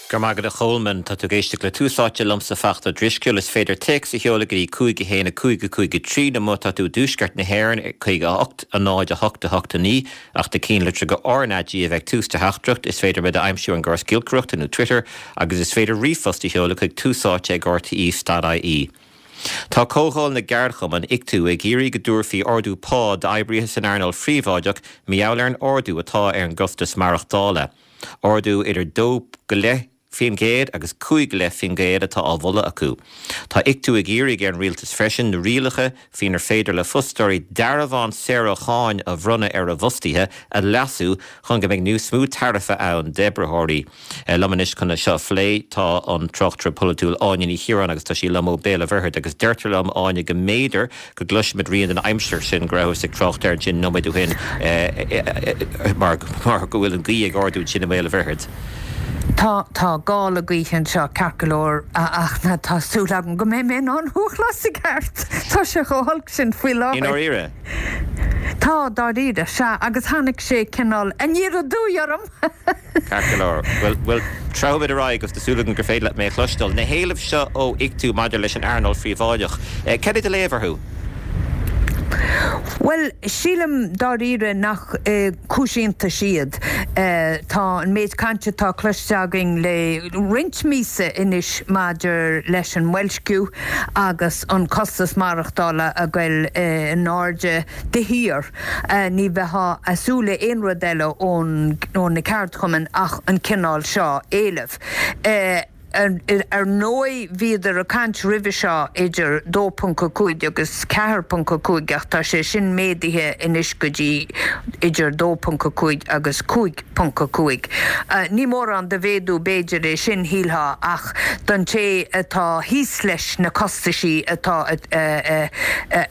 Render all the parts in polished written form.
Go raibh maith agat a Cholmáin. Tá tú ag éisteacht le Tús Áite liomsa Fachtna Ó Drisceoil. Is féidir téacs a sheoladh go dtí 5 1 5 5 3 nó má tá tú i dtuaisceart na hÉireann 58 0 8 8 9 ach na cinnlitreacha RnaG a bheith ag tús do theachtaireacht. Is féidir muid a aimsiú ar an gcóras giolcaireachta nó Twitter agus is féidir ríomhphost a sheoladh chuig túsáite ag rte.ie. Tá Comhdháil na gCeardchumann, Ictu, ag iarraidh go dtabharfaí ardú pá d'oibrithe san earnáil phríobháideach mar gheall ar an ardú atá ar an gcostas maireachtála. Ardú idir 2.5% agus 5.5% atá á mholadh acu. Tá Ictu ag iarraidh ar an rialtas freisin na rialacha faoinar féidir le fostóirí dearbhán saor ó cháin a bhronnadh ar a bhfostaithe a leasú chun go mbeidh níos mó tairbhe ann d'oibritheoirí. Liom anois chun é seo a phlé tá an tráchtaire polaitiúil Áine Ní Chiaráin agus tá sí liom ó Béal an Mhuirthead agus deirtear liom, Áine, go mb'fhéidir go gcloisfimid rian den aimsir sin go rabhthas ag trácht air ansin nóiméad ó shin mar go bhfuil an ghaoth ag ardú ansin i mBéal an Mhuirthead. Tá, tá gála gaoithe anseo ceart go leor ach tá súil agam go mbeidh mé in ann thú a chlos i gceart. Tá sé chomh holc sin faoi láthair. I ndáiríre? Tá, dáiríre, sea, agus tháinig sé cineál aniar aduaidh orm! Ceart go leor. Bhuel, bhuel, treabhfaimid ar aghaidh agus tá súil agam gur féidir leat mé a chloisteáil. Na héilimh seo ó Ictu maidir leis an earnáil phríobháideach, cad é do léamh orthu? Bhuel, sílim dáiríre nach cúis iontais iad. Tá an méid cainte atá cloiste againn le roinnt míosa anois maidir leis an mboilsciú agus an costas maireachtála ag goil in airde de shíor. Ní bheifeá ag súil le aon rud eile ó na ceardchumainn ach an cineál seo éilimh. Ar ndóigh bhíodar ag caint roimhe seo idir 2.5 agus 4.5 ach tá sé sin méadaithe anois go dtí idir 2.5 agus 5.5. Ní mórán de mhéadú b'fhéidir é sin, shílfeá, ach don té atá thíos leis na costaisí atá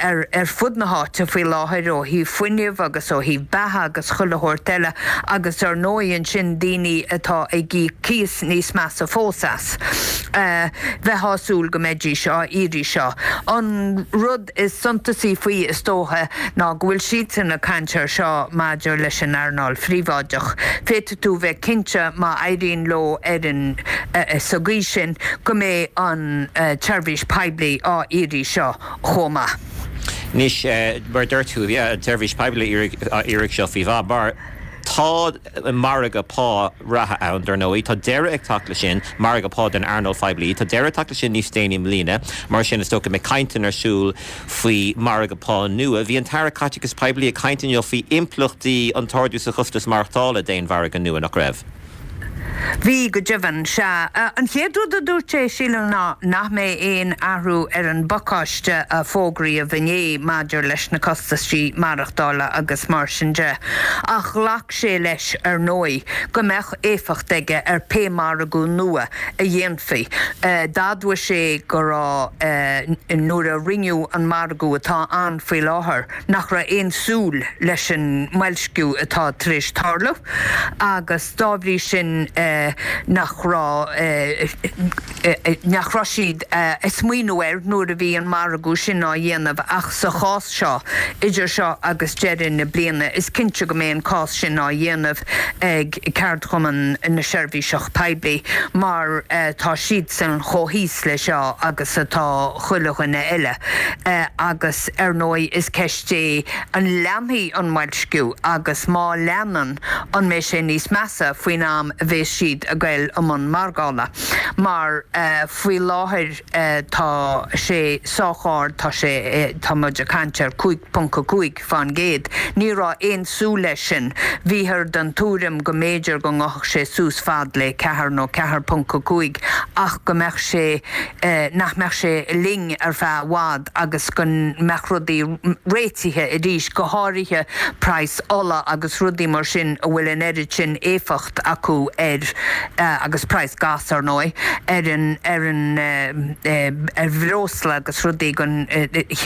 ar fud na háite faoi láthair ó thaobh fuinnimh agus ó thaobh beatha agus chuile shórt eile agus ar ndóigh ansin daoine atá ag íoc cíos níos measa fós as. Bheifeá ag súil go mbeidís á iarraidh seo. An rud is suntasaí faoi is dócha ná go bhfuil siadsan ag caint air seo maidir leis an earnáil phríobháideach. Féadfaidh tú bheith cinnte má éiríonn leo ar an sa gcaoi sin go mbeidh an tseirbhís poiblí á iarraidh seo chomh maith. Anois, mar a dúirt tú, an tseirbhís poiblí á iarraidh seo faoi mhaith, mar tá margadh pá reatha ann, dar ndóigh. Tá deireadh ag teacht leis sin, margadh pá den earnáil phoiblí. Tá deireadh ag teacht leis sin níos déanaí i mbliana. Mar sin, is dócha go mbeidh cainteanna ar siúl faoi mhargadh pá nua. Bhí an tAire Caiteachais Poiblí ag caint inniu faoi impleachtaí an t-ardú sa chostas maireachtála d'aon mhargadh nua, nach raibh? Bhí, go deimhin. Sea. An chéad rud a dúirt sé, sílim, ná nach mbeidh aon athrú ar an bpacáiste a fógraíodh inné maidir leis na costaisí maireachtála agus mar sin de. Ach ghlac sé leis, ar ndóigh, go mbeadh éifeacht aige ar pé margadh nua a dhéanfaí. D'admhaigh sé go raibh, nuair a rinneadh an margadh atá ann faoi láthair, nach raibh aon súil leis an mboilsciú atá tar éis tarlú agus dá bhrí sin nach raibh nach raibh siad ag smaoineamh air nuair a bhí an margadh sin á dhéanamh ach sa chás seo, idir seo agus deireadh na bliana, is cinnte go mbeidh an cás sin á dhéanamh ag ceardchumann na seirbhíseach poiblí mar tá siadsan chomh thíos le seo agus atá chuile dhuine eile agus ar ndóigh is ceist é an leanfaidh an mboilsciú agus má leanann an mbeidh sé níos measa faoin am a bheas siad ag goil i mbun margála mar faoi láthair tá sé sách ard, tá sé, tá muid ag caint ar 5.5 fán gcéad. Ní raibh aon súil leis sin. Bhíothar den tuairim go mb'fhéidir go ngabhfadh sé suas fad le 4 nó 4.5 ach go mbeadh sé, nach mbeadh sé linn ar feadh i bhfad agus go mbeadh rudaí réitithe arís, go háirithe praghas ola agus rudaí mar sin a bhfuil an oiread sin éifeacht acu ar, agus praghas gas ar ndóigh, ar an, ar an, ar bhreosla agus rudaí den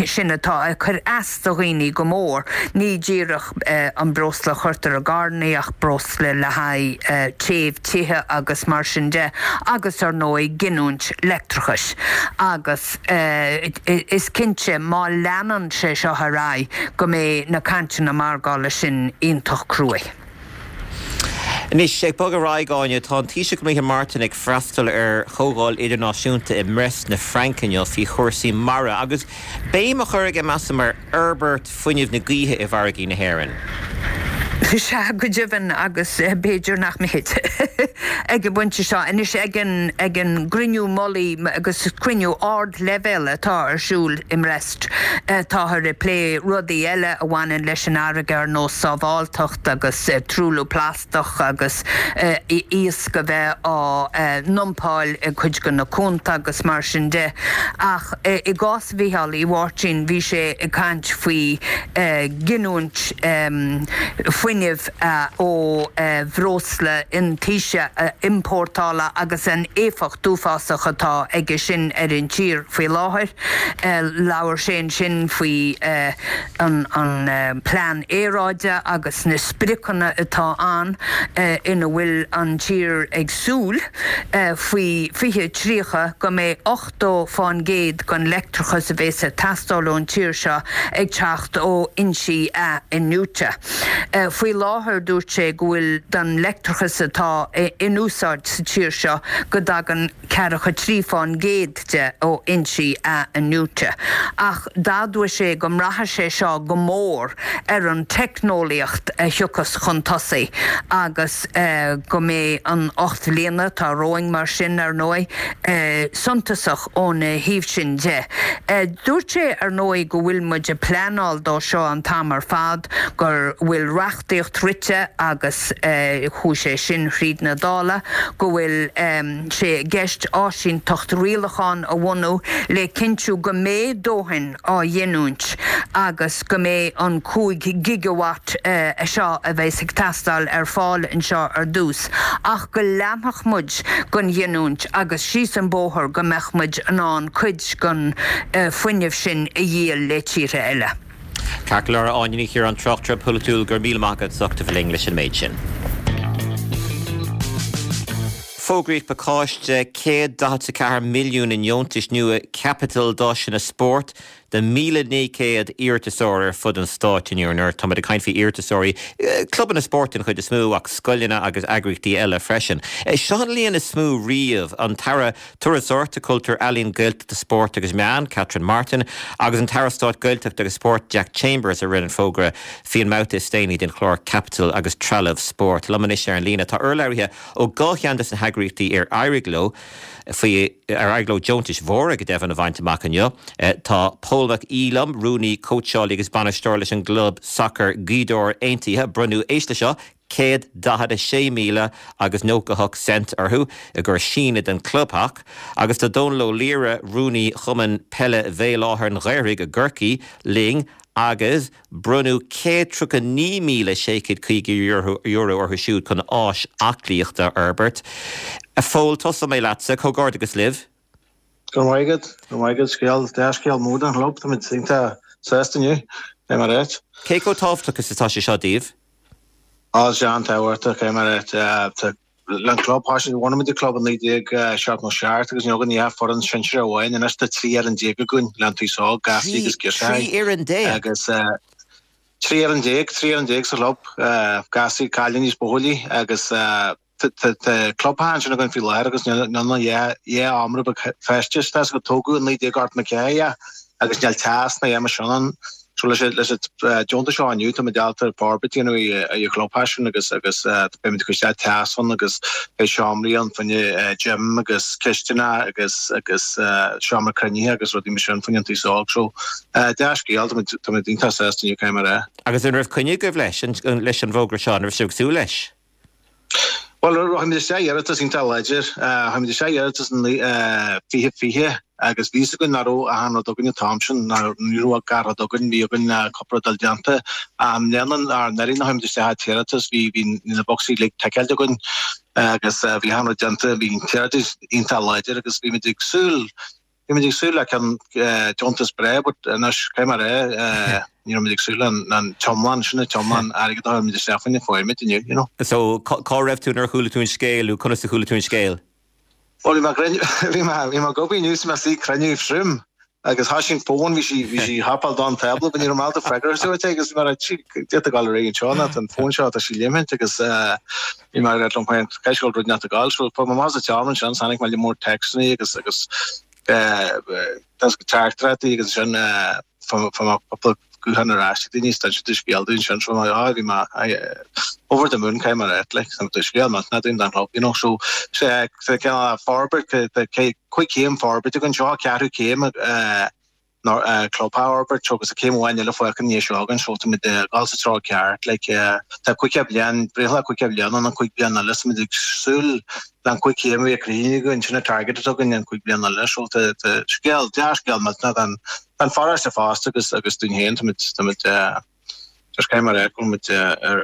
sin atá ag cur as do dhaoine go mór. Ní díreach an breosla a chuirtear i gcarrannaí ach breosla le haghaidh téamh tithe agus mar sin de agus ar ndóigh giniúint leictreachais agus is cinnte má leanann sé seo ar aghaidh go mbeidh na cainteanna margála sin iontach cruaidh. Anois, ag bogadh ar aghaidh, Áine, tá an Taoiseach Micheál Martin ag freastal ar chomhdháil idirnáisiúnta i mBrest na Fraince inniu faoi chúrsaí mara agus béim á chur aige, measaim, ar fhorbairt fuinnimh na gaoithe i bhfarraigí na hÉireann. Sea, go deimhin, agus b'fhéidir nach mithid ag an bpointe seo. Anois, ag an ag an gcruinniú mullaigh agus cruinniú ardleibhéil atá ar siúl i mBrest, táthar ag plé rudaí eile a bhaineann leis an fharraige ar nós sábháilteacht agus truailliú plastach agus iasc a bheith á ndumpáil i gcuid de na cuanta agus mar sin de. Ach i gcás Mhícheál Uí Mháirtín, bhí sé ag caint faoi ghiniúint fuinnimh ó bhreosla iontaise a iompórtála agus an éifeacht uafásach atá aige sin ar an tír faoi láthair. Labhair sé ansin faoi an plean aeráide agus na spriocanna atá ann ina bhfuil an tír ag súil faoi 2030 go mbeidh 80% den leictreachas a bhéas ag teastáil ón tír seo ag teacht ó fhoinsí athghiniúinte. Faoi láthair dúirt sé go bhfuil den leictreachas atá in úsáid sa tír seo go dtagann 43% de ó fhoinsí athghiniúinte. Ach d'admhaigh sé go mbraithfidh sé seo go mór ar an teicneolaíocht a thiocfas chun tosaigh agus go mbeidh an 8 mbliana atá romhainn mar sin, ar ndóigh, suntasach óna thaobh sin de. Dúirt sé, ar ndóigh, go bhfuil muid ag pleanáil dó seo an t-am ar fad, go bhfuil reachtaíocht rite agus chuaigh sé sin thríd na Dála, go bhfuil sé i gceist áisínteacht rialachán a bhunú le cinntiú go mbeidh dóthain á ghiniúint agus go mbeidh an 5 gigawatt seo a bheas ag teastáil ar fáil anseo ar dtús ach go leanfadh muid den ghiniúint agus síos an bóthar go mbeadh muid in ann cuid den fuinneamh sin a dhíol le tíortha eile. Ceart go leor, a Áine Ní Chiaráin, tráchtaire polaitiúil, go raibh míle maith agat as ucht a bheith linn leis an méid sin. Fógraíodh pacáiste 144 milliún i ndeontais nua caipitil d'áiseanna spóirt do 1,900 iarratasóir ar fud an stáit inniu. Tá muid ag caint faoi iarratasóirí, clubanna spóirt den chuid is mó ach scoileanna agus eagraíochtaí eile freisin. Seo an líon is mó riamh. An tAire Turasóireachta, Cultúir, Ealaíon, Gaeltachta, Spóirt agus Meán, Catherine Martin, agus an tAire Stáit Gaeltachta agus Spóirt, Jack Chambers, a rinne an fógra faoi an mbabhta is déanaí den chlár Caipitil agus Trealamh Spóirt. Liom anois ar an líne tá urlabhraithe ó dhá cheann de na heagraíochtaí ar éirigh leo faoi ar éirigh leo deontais mhóra go deimhin a bhaint amach inniu. Tá Pól Mac Aoidh liom, rúnaí, cóitseálaí agus bainisteoir leis an gclub sacair Gaoth Dobhair Aontaithe. Bronnadh, éist leis seo, 146 míle agus 98 cent orthu i gcur síneadh den chlubtheach agus tá Dónal Ó Laoire, rúnaí Chumann Peile Bhéal Átha an Ghaorthaidh i gCorcaigh linn agus bronnadh €139,650 orthu siúd chun áis aclaíochta a fhorbairt. A Phóil, tosóidh mé leatsa, comhghairdeachas libh. Go raibh maith agat, go raibh maith agat, scéal, dea-scéal mór don chlub, táimid iontach sásta inniu, é mar áit. Cé chomh tábhachtach is atá sé seo daoibh? Á, is an-tábhachtach é mar áit. Tá an club, thosaigh, bhunaigh muid an club i 1977 agus ní againn ach foireann sinsearach amháin, anois tá 13 fhoireann againn le an t-aos óg, gasraí agus girseachaí. 13 fhoireann? Agus 13 fhoireann, 13 fhoireann sa chlub, gasraí, cailíní is buachaillí agus Tá clubtheach ansin againn faoi láthair agus níl ann ach dhá sheomra beag feistis. Tá 'fhios agat tógadh i 1984 é agus níl teas ná a dhath mar sin ann. So leis an leis an deontas seo inniu táimid ábalta forbairt a dhéanamh ar an chlubtheach sin agus agus beimid ag cur isteach teas ann agus beidh seomraí ann fá choinne gym agus cistineach agus agus seomra cruinnithe agus rudaí mar sin fá choinne an t-aos óg. So dea-scéal, táimid táimid iontach sásta inniu caithfidh mé a rá. Agus an raibh coinne agaibh leis leis an bhfógra seo? An raibh sibh ag súil leis? Bhuel, chuir muid isteach iarratas iontach láidir. Chuir muid isteach iarratas in 2020 agus bhí 'fhios againn nach raibh achan rud againn an t-am sin, ní raibh gach rud againn, bhí againn cúpla rud dul déanta. I mbliana, anuraidh nuair a chuir muid isteach an t-iarratas, bhí bhí na bocsaí uilig ticeáilte againn agus bhí achan rud déanta, bhí an t-iarratas iontach láidir agus bhí muid ag súil Bhí muid ag súil le ceann deontas breá but anois caithfidh mé a rá ní raibh muid ag súil le an t-iomlán sin an t-iomlán airgead a chuir muid isteach faoina fuair muid inniu, you know. So cá raibh tú nuair a chuala tú an scéal nó conas a chuala tú an scéal? Bhuel bhí mé bhí mé bhí mé ag obair inniu so bhí mé istigh ag cruinniú trom. Agus thoisigh an fón, bhí sí, bhí sí ag hopáil don tábla, but ní raibh mé ábalta freagra a thabhairt agus bhí mé ag rá, cad é tá ag dul ar aghaidh anseo ná tá an fón seo, tá sí léimint agus bhí mé ag rá liom féin, caithfidh go bhfuil rud inteacht ag dul. So fuair mé amach as an tseomra ansin, tháinig mé le mór téacsanna agus, agus teachtaireachtaí agus ansin fuair mé cúpla guthán ar ais ag daoine is d'inis siad scéal dúinn ansin so bhí mé, ah bhí mé over the moon caithfidh mé a rá, like, tá scéal millteanach dúinn don chlub, you know, so sé cineál forbairt, 5 chéim forbairt againn seo, ceathrú céim club a fhorbairt agus céim amháin eile fágtha i ndiaidh seo againn so táimid ag dul sa treo ceart like tá 50 bliain, breithlá 50 bliain ann an 5 bliain eile so táimid ag súil le an 5 chéim a bheith críochnaithe againn sin an target atá againn an 5 bliain eile so tá scéal, dea-scéal millteanach don don pharóiste fosta agus agus dúinn féin táimid táimid Just caithfidh mé a rá go bhfuil muid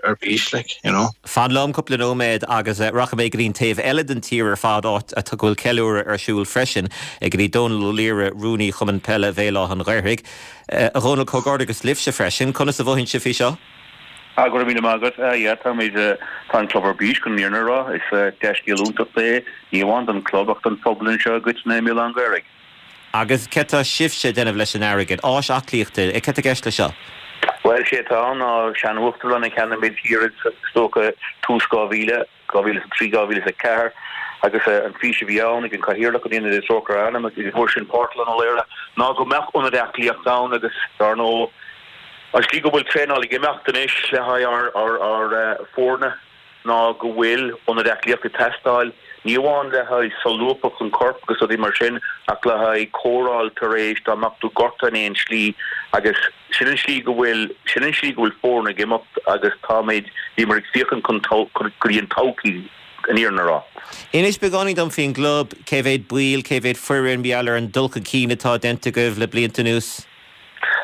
ar bís, like, you know. Fan liom cúpla nóiméad agus rachaidh mé go dtí an taobh eile den tír ar fad, áit a go bhfuil ceiliúradh ar siúl freisin, go dtí Dónal Ó Laoire, Rúnaí Chumann Peile Bhéal Átha an Ghaorthaidh. A Dhónaill, comhghairdeachas libhse freisin. Conas a mhothaíonn sibh faoi seo? Ah, go raibh míle maith agat. Ah, yeah, táimid, tá an club ar bís, chun an fhírinne a rá. Is dea-scéal iontach é, ní amháin don chlub ach don phobal anseo i gcoitinne i mBéal Átha an Ghaorthaidh. Agus céard tá sibhse ag déanamh leis an airgead? Áis aclaíochta, céard tá i gceist leis seo? Bhuel, sé atá ann ná sean-uachtarlann a cheannaigh muid thiar is dócha tús 2000, 2003, 2004, agus an fís a bhí ann ag an Cathaoirleach, an Ionad is trócaire ar a anam, ag an uair sin Pártlann Ó Laoire, ná go mbeadh ionad aclaíochta ann agus dar ndóigh an slí go bhfuil traenáil ag imeacht anois le haghaidh ár ár foirne, ná go bhfuil ionad aclaíochta ag teastáil, ní amháin le haghaidh solúbthacht an choirp agus rudaí mar sin, ach le haghaidh cóireáil tar éis dá mbeadh tú gortaithe in aon slí agus sin an slí go bhfuil, sin an slí go bhfuil foirne ag imeacht agus táimid, bhíomar ag féachaint chun go dtí an todhchaí, an fhírinne a rá. Inis beagáinín dom faoin gclub, cé mhéad baill, cé mhéad foireann, mar gheall ar an dul chun cinn atá déanta agaibh le blianta anuas?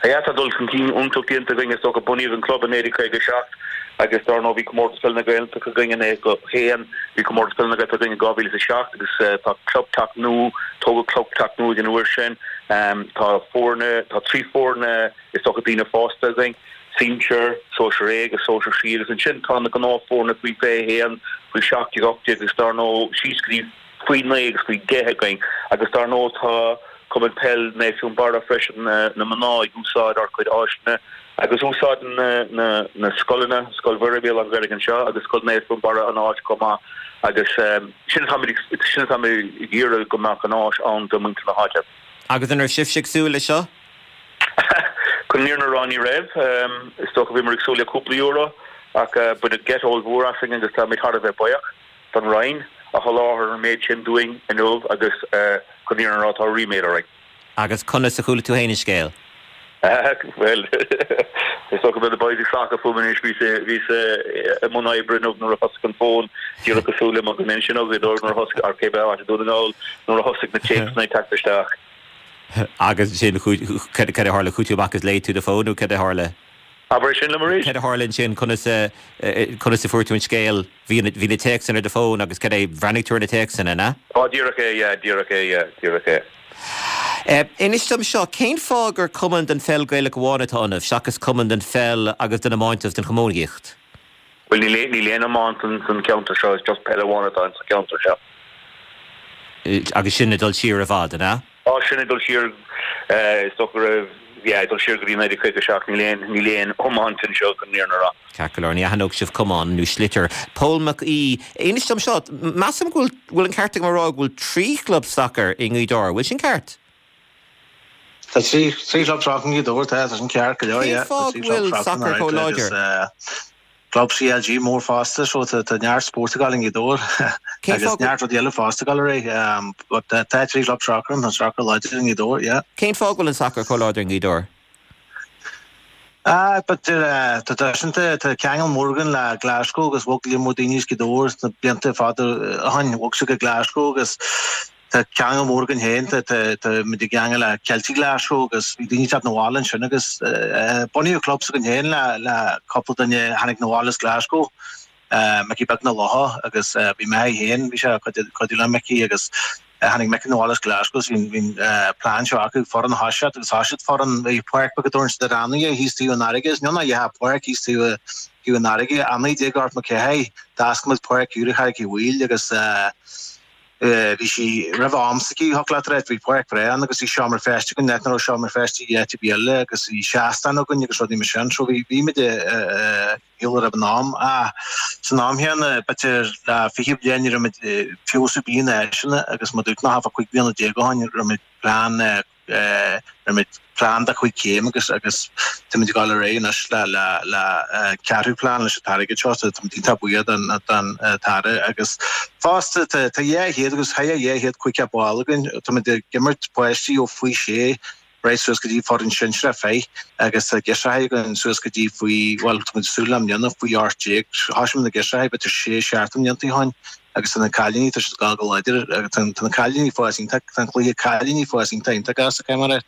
Yeah, tá dul chun cinn iontach déanta againn. Is dócha bunaíodh an club i 1957 agus dar ndóigh bhí Comórtas Peile na Gaeltachta againn in 91, bhí Comórtas Peile na Gaeltachta againn in 2007 agus tá clubtheach nua, tógadh clubtheach nua ag an uair sin. Tá foirne, tá 3 foirne is dócha daoine fásta againn, Sinsear, Sóisear A agus Sóisear C agus ansin tá na gnáthfhoirne faoi 21, faoi 17, 18 agus dar ndóigh síos go dtí faoi 9 agus faoi 10 againn agus dar ndóigh tá Cumann Peil Naomh Fionnbarra freisin, na mná ag úsáid ár gcuid áiseanna agus úsáideann na scoileanna, Scoil Mhuire Béal Átha an Ghaorthaidh anseo agus Scoil Naomh Fionnbarra an áit chomh maith agus sin atáimid sin atáimid ag iarraidh go mbeadh an áis ann do mhuintir na háite. Agus an raibh sibhse ag súil leis seo? Chun an fhírinne a rá ní raibh. Is dócha bhíomar ag súil le cúpla euro ach baineadh geit ollmhór asainn agus táimid thar a bheith buíoch. don Roinn a sholáthair an méid sin dúinn inniu agus chun an fhírinne a rá tá ríméad orainn. Agus conas a chuala tú féin an scéal? Bhuel, is dócha go mbeidh na boys ag sacadh fúm anois, bhíos bhíos i mbun oibre inniu nuair a thosaigh an fón, díreach cosúil le mo dhuine ansin ó Ghaoth Dobhair nuair a thosaigh, ar cébith áit i Dún na nGall, nuair a thosaigh na téacsanna ag teacht isteach. Agus ansin, cad a tharla? Chuaigh tú amach agus léigh tú do fón nó cad a tharla? Abair é sin liom arís. Cad a tharla ansin? Conas a, conas a fuair tú an scéal? Bhí na, bhí na téacsanna ar do fón agus cad é, bhreathnaigh tú ar na téacsanna, an ea? Á, díreach é, yeah, díreach é, yeah, díreach é. Inis dom seo, cén fáth gur cumann den pheil Gaelach amháin atá ionaibh, seachas cumann den pheil agus den iomáint agus den chamógaíocht? Bhuel, níl aon, níl aon iomáint san cheantar seo, is just peil amháin atá in sa cheantar seo. Agus sin ag dul siar i bhfad, an ea? Tá sin ag dul siar, is dócha go raibh, yeah, ag dul siar go dtí 1957, níl aon, níl aon iomáint anseo chun an fhírinne a rá. Ceart go leor, ní aithneodh sibh camán nó sliotar. Pól Mac Aoidh, inis dom seo, measaim go bhfuil, bhfuil an ceart agam a rá go bhfuil 3 chlub sacair i nGaoth Dobhair, bhfuil sin ceart? Tá 3, 3 chlub sacair i nGaoth Dobhair, tá, tá sin ceart go leor, Cén yeah, tá fáth 3 go chlub bhfuil sacair sacar chomh agus, láidir? eh, Club CLG mór fosta so tá neart spóirt ag gabháil i nGaoth Dobhair Cén agus fáth go. neart rudaí eile fosta ag gabháil ar aghaidh but tá 3 chlub sacair ann, tá an sacar láidir i nGaoth Dobhair, yeah. Cén fáth go bhfuil an sacar chomh láidir i nGaoth Dobhair? Ah but tá traidisiúnta, tá ceangal mór againn le Glasgow agus bhog líon mór daoine as Gaoth Dobhair sna blianta fada ó shin, bhog siad go Glasgow agus Tá ceangal mór againn féin, tá muid i gceangal le Celtic Glasgow agus bhí daoine ag teacht 'na bhaile ansin agus bunaíodh club s'againn féin le cúpla duine a tháinig 'na bhaile as Glasgow, Micí Beag na Locha agus bhí m'athair féin, bhí sé ag cuidiú le Micí agus tháinig Micí 'na bhaile as Glasgow agus bhí an plean seo acu foireann a thoiseacht agus thoisigh siad foireann, bhí páirc beag a dtabharann siad ar Annaigh thíos taobh an fharraige, is níl ná dheacha páirc thíos taobh taobh an fharraige, i 1984 d'oscail muid páirc úr i Charraig Uí Bhaoill agus. Bhí sí roimh am s'aici, thiocfadh leat a rá, bhí páirc bhreá ann agus bhí seomra feistis againn, áit nach raibh seomra feistis áit ar bith eile agus bhí seastán againn agus rudaí mar sin. So bhí, bhí muid ag gabháil roimh an am. Ach san am chéanna, b'fhéidir le 20 bliain ní raibh muid feabhas ar bith na háiseanna agus mar a dúirt mé, thart fá 15 bliana ó shin, raibh muid plean Rinne muid plean de chúig chéim agus agus táimid ag dul ar aghaidh anois le le le ceathrú plean leis an t-airgead seo so táimid iontach buíoch don don tAire agus fosta tá tá 200 agus thar 250 ball againn táimid ag imirt páistí ó faoi sé right suas go dtí foireann sinsearach fir agus tá girseachaí againn suas go dtí faoi bhuel táimid ag súil le i mbliana faoi 18 thosaigh muid na girseachaí b'fhéidir sé seacht mblianta ó shin Agus tá na cailíní, tá siad ag gabháil go láidir, agus tá na cailíní ag fás iontach, tá an cluiche cailíní ag fás iontach iontach gasta, caithfidh mé a rá.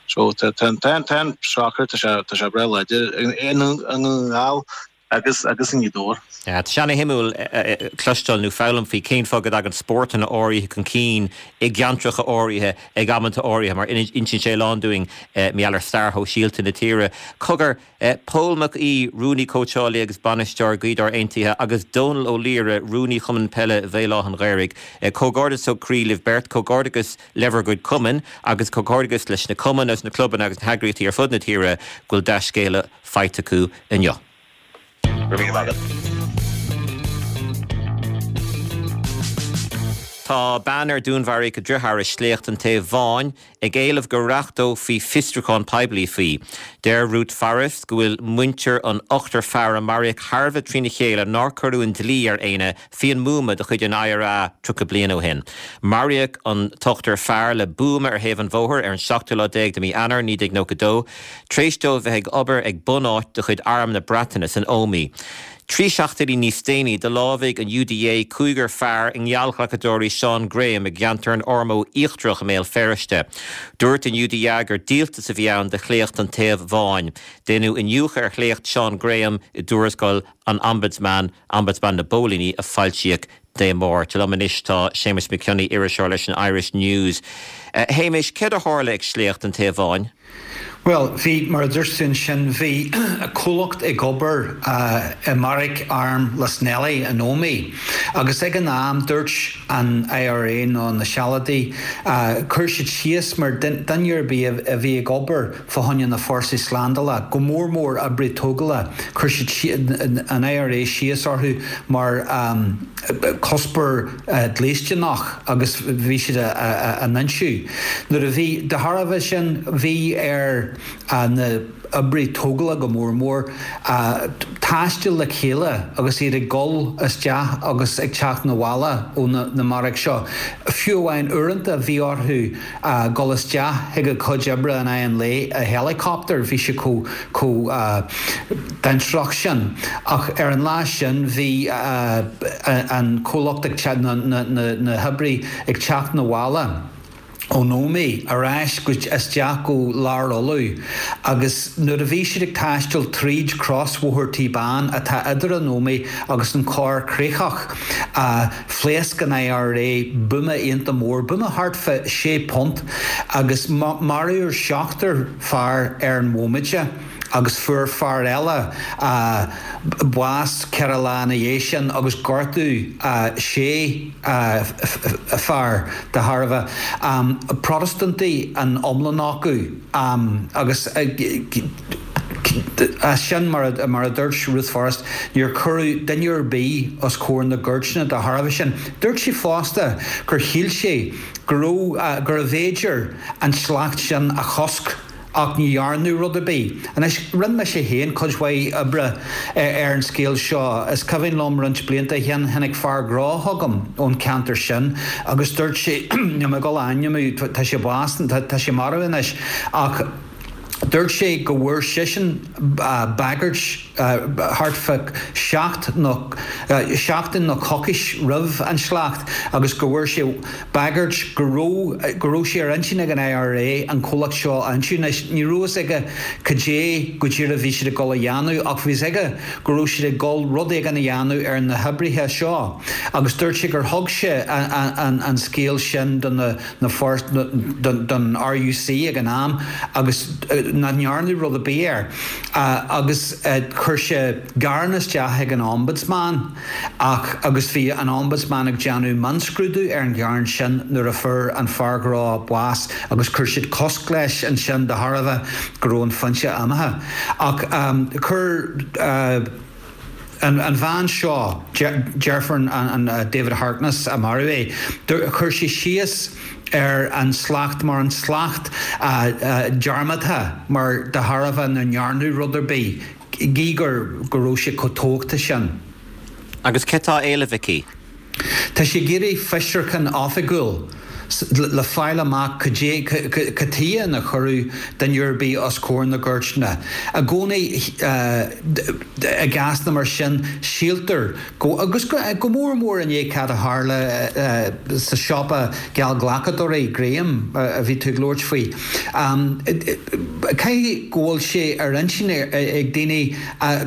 So tá tá tá tá an soccer, tá sé tá sé breá láidir i nDún na nGall agus agus i nGaoth Dobhair. Tá sé ana-shuimiúil cloisteáil nó foghlaim faoi cén fáth go dtagann spórtanna áirithe chun cinn i gceantracha áirithe ag amanta áirithe mar insíonn sé a lán dúinn mar gheall ar stair shóisialta na tíre. Cogar, Pól Mac Aoidh, Rúnaí Cóitseálaí agus Bainisteoir Gaoth Dobhair Aontaithe agus Dónal Ó Laoire, Rúnaí Chumann Peile Bhéal Átha an Ghaorthaidh. Comhghairdeas ó chroí libh beirt, comhghairdeas le bhur gcuid cumainn agus comhghairdeas leis na cumainn agus na clubanna agus na heagraíochtaí ar fud na tíre go bhfuil dea-scéala faighte acu inniu. Go raibh míle maith agat. Tá bean ar dúnmharaíodh a driotháir i sléacht an Taoibh Bháin ag éileamh go reachtófaí fiosrúchán poiblí faoi. Deir Ruth Forrest go bhfuil muintir an ochtar fear a maraíodh thar a bheith trína chéile nár cuireadh an dlí ar éinne faoi an mbuama de chuid an IRA 30 bliain ó shin. Maraíodh an t-ochtar fear le buama ar thaobh an bhóthair ar an seachtú lá déag de mhí Eanáir 1992 tar éis dóibh bheith ag obair ag bunáit de chuid Arm na Breataine san Ómaigh. Trí seachtainí níos déanaí, do lámhaigh an UDA cúigear fear i ngeallghlacadóirí Seán Graham i gceantar an Ormeau Íochtarach i mBéal Feirste. Dúirt an UDA gur díoltas a bhí ann do shléacht an Taobh Bháin. Déanadh iniúchadh ar shléacht Seán Graham i dtuarascáil an Ombudsman, Ombudsman na bPóilíní, a foilsíodh Dé Máirt. Liom anois tá Séamus Mac Cionnaith, iriseoir leis an Irish News. A Shéamais, céard a tharla ag sléacht an Taobh Bháin? Bhuel, bhí, mar a dúirt tú ansin, bhí comhlacht ag obair i mbeairic airm Lisnelly in Ómaigh agus ag an am dúirt an IRA nó na Sealadaigh, chuir siad síos mar duine ar bith a bhí ag obair fá choinne na fórsaí slándála, go mór mór oibrithe tógála, chuir siad an IRA síos orthu mar cuspóir dlisteanach agus bhí siad á n-ionsaí. Nuair a bhí, de thairbhe sin, bhí ar na oibrithe tógála go mór mór taisteal le chéile agus iad ag dul isteach agus ag teacht 'na bhaile ó na mbeairic seo. Fiú amháin uaireanta bhí orthu dul isteach chuig a gcuid oibre in aghaidh an lae i helicopter, bhí sé chomh chomh dainséarach sin. Ach ar an lá sin bhí an comhlacht ag na hoibrithe ag teacht 'na bhaile ón Ómaigh ar ais go isteach go Lár Uladh agus nuair a bhí siad ag taisteal tríd crosbhóthar Tí Bán atá idir an Ómaigh agus an Chorr Chríochach phléasc an IRA buama iontach mór, buama thart fá sé punt agus maraíodh seachtar fear ar an bhomaite agus fuair fear eile bás ceithre lá ina dhiaidh sin agus gortaíodh sé fear de thairbhe. Protastúntaigh an iomlán acu agus as sin, mar a dúirt Ruth Forrest, níor cuireadh duine ar bith os comhair na gcúirteanna de thairbhe sin. Dúirt sí fosta gur shíl sé go raibh, gurbh fhéidir an sléacht sin a chosc ach ní dhearnadh rud ar bith. Anois, rinne mise féin cuid mhaith oibre ar an scéal seo. Is cuimhin liom roinnt blianta ó shin, tháinig fear gnó chugam ón cheantar sin agus dúirt sé, níl mé ag dul a ainmniú, tá sé bás, tá sé marbh anois, ach dúirt sé go bhfuair seisean bagairt thart fá sheacht nó seachtain nó coicís roimh an sléacht agus go bhfuair sé bagairt go raibh go raibh sé ar intinn ag an IRA an comhlacht seo a ionsaí. Anois, ní raibh fhios aige cad é go díreach a bhí siad ag dul a dhéanamh ach bhí fhios aige go raibh siad ag dul rud éigin a dhéanamh ar na hoibrithe seo agus dúirt sé gur thug sé an scéal sin do na na don RUC ag an am agus nach ndearnadh rud ar bith air. Agus chuir. Chuir sé gearán isteach ag an Ombudsman ach agus bhí an Ombudsman ag déanamh mionscrúdú ar an ghearán sin nuair a fuair an fear gnó bás agus chuir siad cosc leis ansin de thairbhe go raibh an foinse imithe. Ach chuir an bhean seo, deirfiúr an David Harkness a maraíodh é, chuir sí síos ar an slacht mar an slacht dearmadta mar de thairbhe nach ndearnadh rud ar bith, gí go raibh sé chomh tóghta sin. Agus céard tá á éileamh aici? Tá sí ag iarraidh fiosrúchán oifigiúil le fáil amach cad é, cad chuige nár cuireadh duine ar bith os comhair na gcúirteanna. I gcónaí i gcásanna mar sin, síltear go, agus go mór mór i ndiaidh cad a tharla sa siopa geallghlacadóirí, Graham, a bhí tú ag labhairt faoi. Caithfidh go bhfuil sé ar intinn ag daoine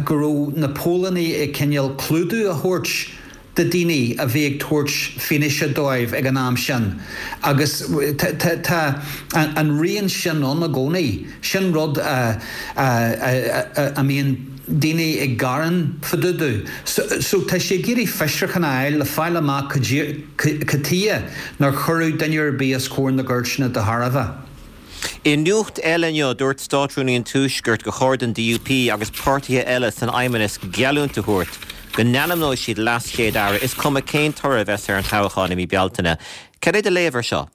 go raibh na póilíní ag cineál clúdú a thabhairt do daoine a bhí ag tabhairt fianaise dóibh ag an am sin agus tá an rian sin ann i gcónaí. Sin rud a mbíonn daoine ag gearán fá dtaobh de. So tá sé ag iarraidh fiosrúchán a fháil le fáil amach cad chuige nár cuireadh duine ar bith os comhair na gcúirteanna de thairbhe. I nuacht eile inniu, dúirt Státrúnaí an Tuaiscirt gur chóir don DUP agus páirtithe eile san Fheidhmeannas geallúint a thabhairt go n-ainmneoidh siad leas-Chéad Aire, is cuma cén toradh a bheas ar an toghchán i mí Bealtaine. Cad é do léamh ar seo?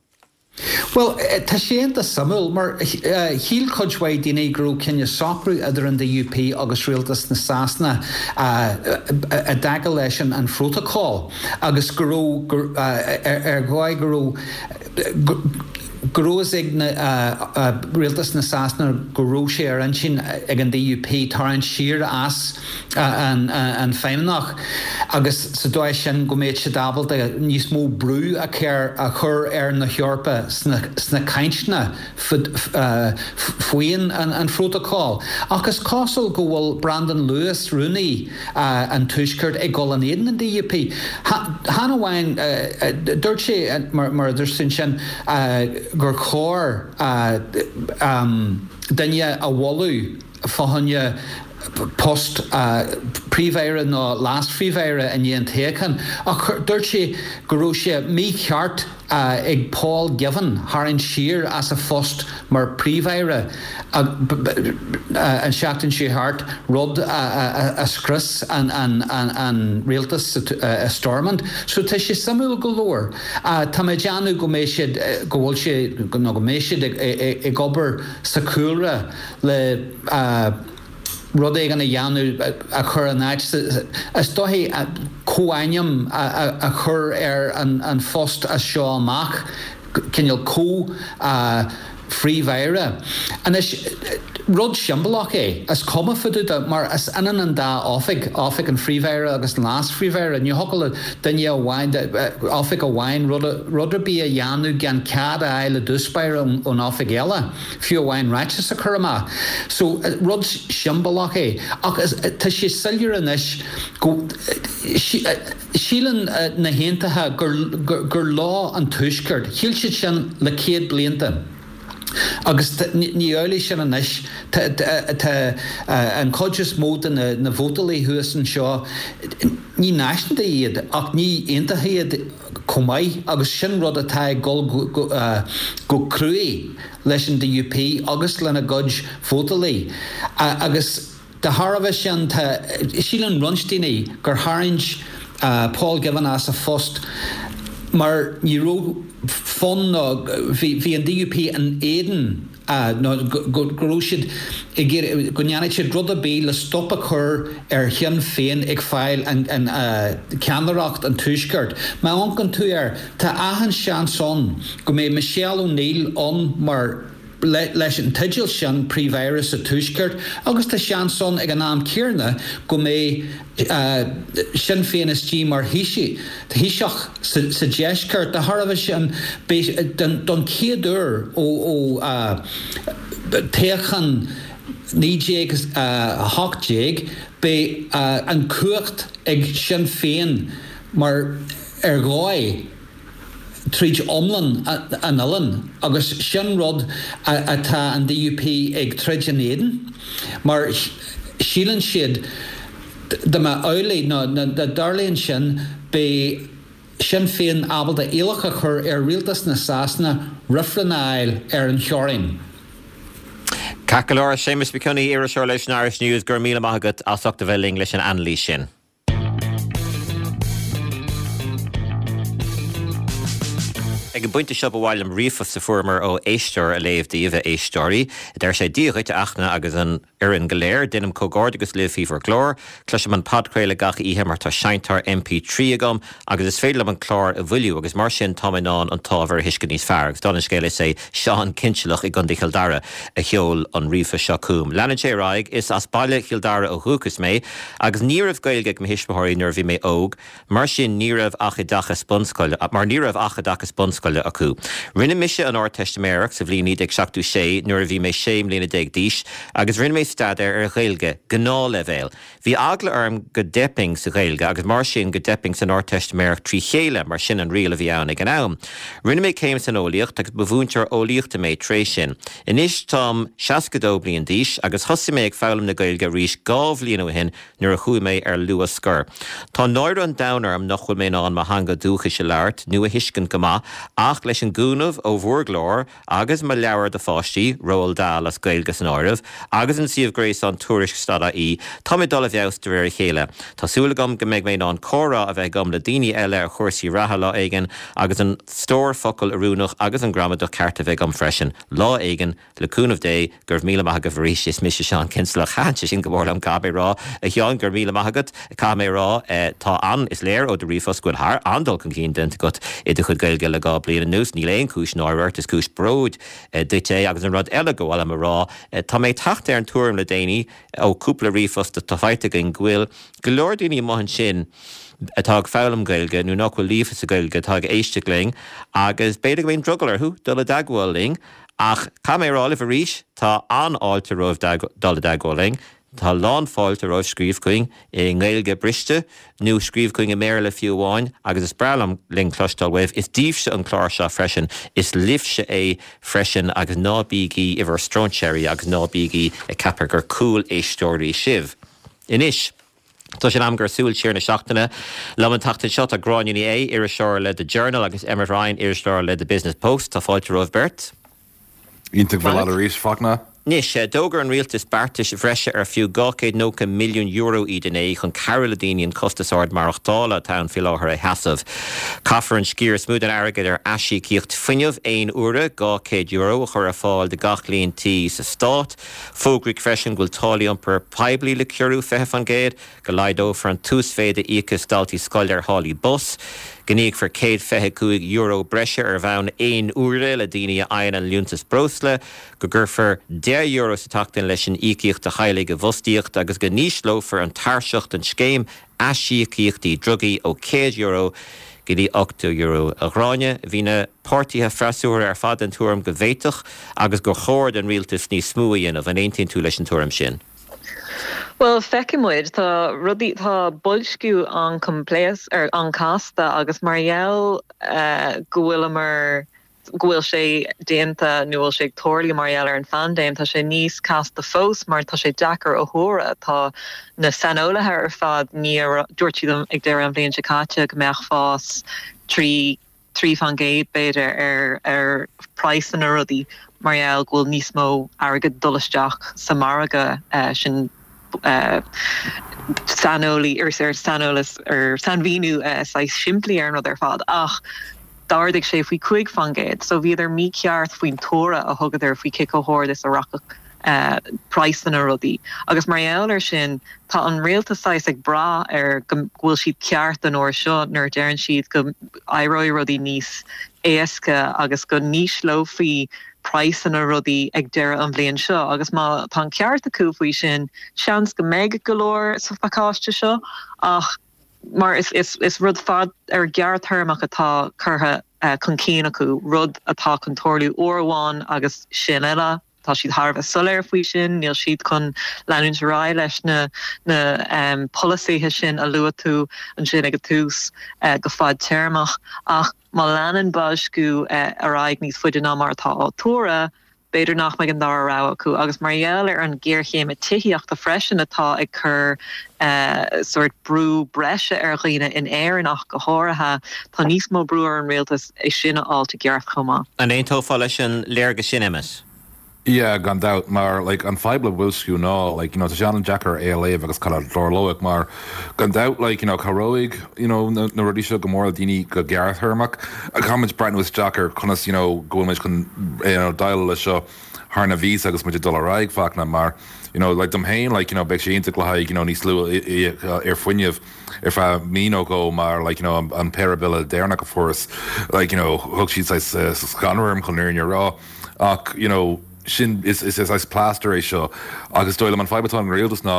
Bhuel, tá sé iontach suimiúil, mar shíl cuid mhaith daoine go raibh cineál socrú idir an DUP agus rialtas na Sasana i dtaca leis an phrótocol agus go raibh, ar dhóigh go raibh, go raibh fhios ag rialtas na Sasana go raibh sé ar intinn ag an DUP tarraingt siar as an Feidhmeannach agus sa dóigh sin go mbeadh siad ábalta níos mó brú a chur ar na hEorpa sna cainteanna faoin an phrótocol. Ach is cosúil go bhfuil Brandon Lewis, Rúnaí an Tuaiscirt, ag dul in éadan an DUP. Chan amháin, dúirt sé, mar a dúirt tú ansin, gur chóir duine a mholadh fá choinne post Príomh-Aire nó Leas-Phríomh-Aire i ndiaidh an toghcháin, ach dúirt sé go raibh sé mícheart ag Paul Givan tharraingt siar as a phost mar Phríomh-Aire an seachtain seo thart, rud a scrios an rialtas i Stormont. So tá sé suimiúil go leor. Tá mé ag déanamh go mbeidh siad, go bhfuil sé, nó go mbeidh siad ag obair sa chúlra le rud éigin a dhéanamh a chur in áit, is dóichí, comhainm a chur ar an phost as seo amach, cineál comh-phríomh-aire. Anois, rud siombalach é, is cuma fá dtaobh de, mar is ionann an dá oifig, oifig an Phríomh-Aire agus an Leas-Phríomh-Aire. Ní thiocfadh le duine amháin, oifig amháin rud ar bith a dhéanamh gan cead a fháil i dtús báire ón oifig eile. fiú amháin ráiteas a chur amach. So, rud siombalach é. Ach tá sé soiléir anois go síleann na hAontaithe gur leo an Tuaisceart. Shíl siad sin le 100 blianta. Agus ní amhlaidh sin anois. Tá an chuid is mó de na vótálaithe thuas anseo, ní náisiúnta iad ach ní aontaithe iad. chomh maith agus sin rud atá ag dul go cruaidh leis an DUP agus lena gcuid vótálaí agus de thairbhe sin tá, síleann roinnt daoine gur tharraing Paul Givan as a phost mar ní raibh fonn nó bhí an DUP in éadan nó go raibh siad ag iarraidh go ndéanfadh siad rud ar bith le stop a chur ar Shinn Féin ag fáil an ceannaireacht an Tuaiscirt. Má amharcann tú air, tá achan seans ann go mbeidh Michelle O'Neill ann mar leis an teideal sin, Príomh-Aire sa Tuaisceart, agus tá seans ann ag an am céarna go mbeidh Sinn Féin istigh mar Thaoiseach sa Deisceart. De thairbhe sin, beidh, don chéad uair ó toghchán 1918, beidh an chumhacht ag Sinn Féin mar ar dhóigh tríd iomlán an oileáin agus sin rud atá an DUP ag troid in éadan mar. Síleann siad dá mba amhlaidh nó dá dtarlaíonn sin beidh Sinn Féin ábalta iallach a chur ar rialtas na Sasana reifreann a fháil ar an theorainn. Ceart go leor, a Séamus Mac Cionnaith, iriseoir leis an Irish News, go raibh míle maith agat as ucht a bheith linn leis an anailís sin. Ag an bpointe seo ba mhaith liom ríomhphost a fuaireamar ó éisteoir a léamh daoibh, a éisteoirí. Deir sé, Dia dhuit, a Fhachtna agus an fhoireann go léir. Déanaim comhghairdeachas libh faoi bhur gclár. Cloisim an podchraoladh gach oíche mar tá seinnteoir MP3 agam agus is féidir liom an clár a mhoilliú agus mar sin táim in ann an t-ábhar a thuiscint níos fearr. Agus dála an scéil is é Seán Cinnsealach i gContae Chill Dara a sheol an ríomhphost seo chugam. Leanann sé ar aghaidh, Is as baile Chill Dara ó dhúchas mé agus ní raibh Gaeilge ag mo thuismitheoirí nuair a bhí mé óg. Mar sin ní raibh ach oideachas bunscoile, mar ní raibh ach oideachas bunscoile acu. Rinne mise an Ardteistiméireacht sa bhliain 1976 nuair a bhí mé 16 mbliana d'aois agus rinne mé staidéar ar Ghaeilge, gnáthleibhéal. Bhí eagla orm go dteipfinn sa Ghaeilge agus mar sin go dteipfinn san Ardteistiméireacht trí chéile mar sin an riail a bhí ann ag an am. Rinne mé céim san eolaíocht agus ba mhúinteoir eolaíochta mé tar éis sin. Anois táim 62 bliain d'aois agus thosaigh mé ag foghlaim na Gaeilge arís 2 bhliain ó shin nuair a chuaigh mé ar luath scor. Tá náire an domhain orm nach bhfuil mé in ann mo theanga dúchais a labhairt nó a thuiscint go maith ach leis an gcúnamh ó bhur gclár agus mo leabhar do pháistí, Roald Dahl as Gaeilge san áireamh, agus an suíomh gréasáin Tuairisc.ie, tá mé ag dul i bhfeabhas de réir a chéile. Tá súil agam go mbeidh mé in ann comhrá a bheith agam le daoine eile ar chúrsaí reatha lá éigin agus an stór focal oiriúnach agus an gramadach ceart a bheith agam freisin lá éigin. Le cúnamh Dé, go raibh míle maith agaibh arís. Is mise Seán Cinnsealach. Thaitin sé sin go mór liom, caithfidh mé a rá. A Sheáin, go raibh míle maith agat. Caithfidh mé a rá, tá an, is léir ó do ríomhphost go bhfuil thar an-dul chun cinn déanta agat i do chuid Gaeilge le 2 bliain anuas. Níl aon chúis náire ort, is cúis bróid duit é. Agus an rud eile gur mhaith liom a rá, tá mé ag teacht ar an tuairim le déanaí, ó cúpla ríomhphost atá faighte againn, go bhfuil go leor daoine amuigh ansin atá ag foghlaim Gaeilge nó nach bhfuil líofa sa Ghaeilge atá ag éisteacht linn agus b'fhéidir go mbeidh drogall orthu dul i dteagmháil linn. Ach caithfidh mé a rá libh arís, tá an-fháilte romhaibh dul i dteagmháil linn. Tá lán-fháilte romhaibh scríobh chugainn i nGaeilge briste, nó scríobh chugainn i mBéarla fiú amháin, agus is breá liom, linn cloisteáil uaibh. Is daoibhse an clár seo freisin, is libhse é freisin, agus ná bígí i bhur stróinséirí agus ná bígí ag ceapadh gur cúl-éisteoirí sibh. Anois. Tá sé in am do Súil Siar na Seachtaine. Liom an tseachtain seo tá Gráinne Ní Aodha, iriseoir le The Journal agus Emmet Ryan, iriseoir le The Business Post. Tá fáilte romhaibh beirt. Iontach bheith leat arís, Fachtna. Anois, d'fhógair an rialtas beartais bhreise ar fiú €290 milliún iad inné chun cabhrú le daoine an costas ard maireachtála atá ann faoi láthair a sheasamh. Caithfear an sciar is mó den airgead ar aisíocaíocht fuinnimh aon uaire, €200, a chur ar fáil do gach líon tí sa stát. Fógraíodh freisin go bhfuil táillí iompair poiblí le ciorrú 20%, go laghdófar an t-uasmhéid a íocfas daltaí scoile ar tháillí bus, go n-íocfar €125 breise ar bhonn aon uaire le daoine a fhaigheann an liúntas breosla, go gcuirfear €10 sa tseachtain leis an íocaíocht do theaghlaigh i bhfostaíocht agus go n-ísleofar an tairseach don scéim aisíocaíochtaí drugaí ó €100 go dtí €80. A Ghráinne, bhí na páirtithe freasúra ar fad den tuairim go bhféadfadh agus gur chóir don rialtas níos mó a dhéanamh. An aontaíonn tú leis an tuairim sin? Bhuel, feicfidh muid. Tá rudaí, tá boilsciú an-choimpléasc, an-chasta agus mar gheall go bhfuileamar, go bhfuil sé déanta nó bhfuil sé ag tarlú mar gheall ar an phaindéim, tá sé níos casta fós mar tá sé deacair a thuaradh. Tá na saineolaithe ar fad, ní, dúirt siad ag deireadh an bhliain seo caite go mbeadh fás 3, 3% b'fhéidir ar ar praghsanna rudaí mar gheall go bhfuil níos mó airgead ag dul isteach sa margadh sin saineolaí ar saineolas ar sainmhíniú saghas simplí ar an rud ar fad ach d'ardaigh sé faoi 5%. So bhíodar mícheart faoin tuaradh a thugadar faoi cé chomh hard is a rachadh praghsanna rudaí. Agus mar gheall ar sin tá an rialtas saghas ag brath ar go bhfuil siad ceart an uair seo nuair a deireann siad go éireoidh rudaí níos éasca agus go n-ísleofaí praghsanna rudaí ag deireadh an bhliain seo agus má tá an ceart acu faoi sin, seans go mbeidh go leor sa phacáiste seo ach mar is is rud fad ar gearrthéarmach atá curtha chun cinn acu, rud atá chun tarlú uair amháin agus sin uile. Tá siad thar a bheith soiléir faoi sin, níl siad chun leanúint ar aghaidh leis na na polasaithe sin a luaigh tú ansin ag an tús go fadtéarmach ach má leanann boilsciú ar aghaidh níos faide ná mar atá á tuaradh. b'fhéidir nach mbeidh an dara rogha acu agus mar gheall ar an ghéarchéim tithíochta freisin atá ag cur sórt brú breise ar dhaoine in Éirinn ach go háirithe, tá níos mó brú ar an rialtas é sin a fháilt i gceart chomh maith. An aontófá leis an léargas sin, Emmet? Yeah, gan dabht, mar like an fadhb le boilsciú ná like you know tá sé an-deacair é a léamh agus cad a tharlóidh mar gan dabht like you know cabhróidh you know na na rudaí seo go mór le daoine go gearrthéarmach caithfimid breathnú isteach ar conas you know go bhfuil muid chun you know déileáil leis seo thar na míosa agus muid ag dul ar aghaidh Fachtna mar you know like dom féin like you know beidh sé iontach le haghaidh you know níos lú ar fuinneamh ar feadh mí nó dhó mar like you know an péire bille deireanach a fuaireas like you know thug siad saghas scanradh orm chun an fhírinne a rá ach you know sin is is saghas plaster é seo agus is dóigh liom an fadhb atá ag an rialtas ná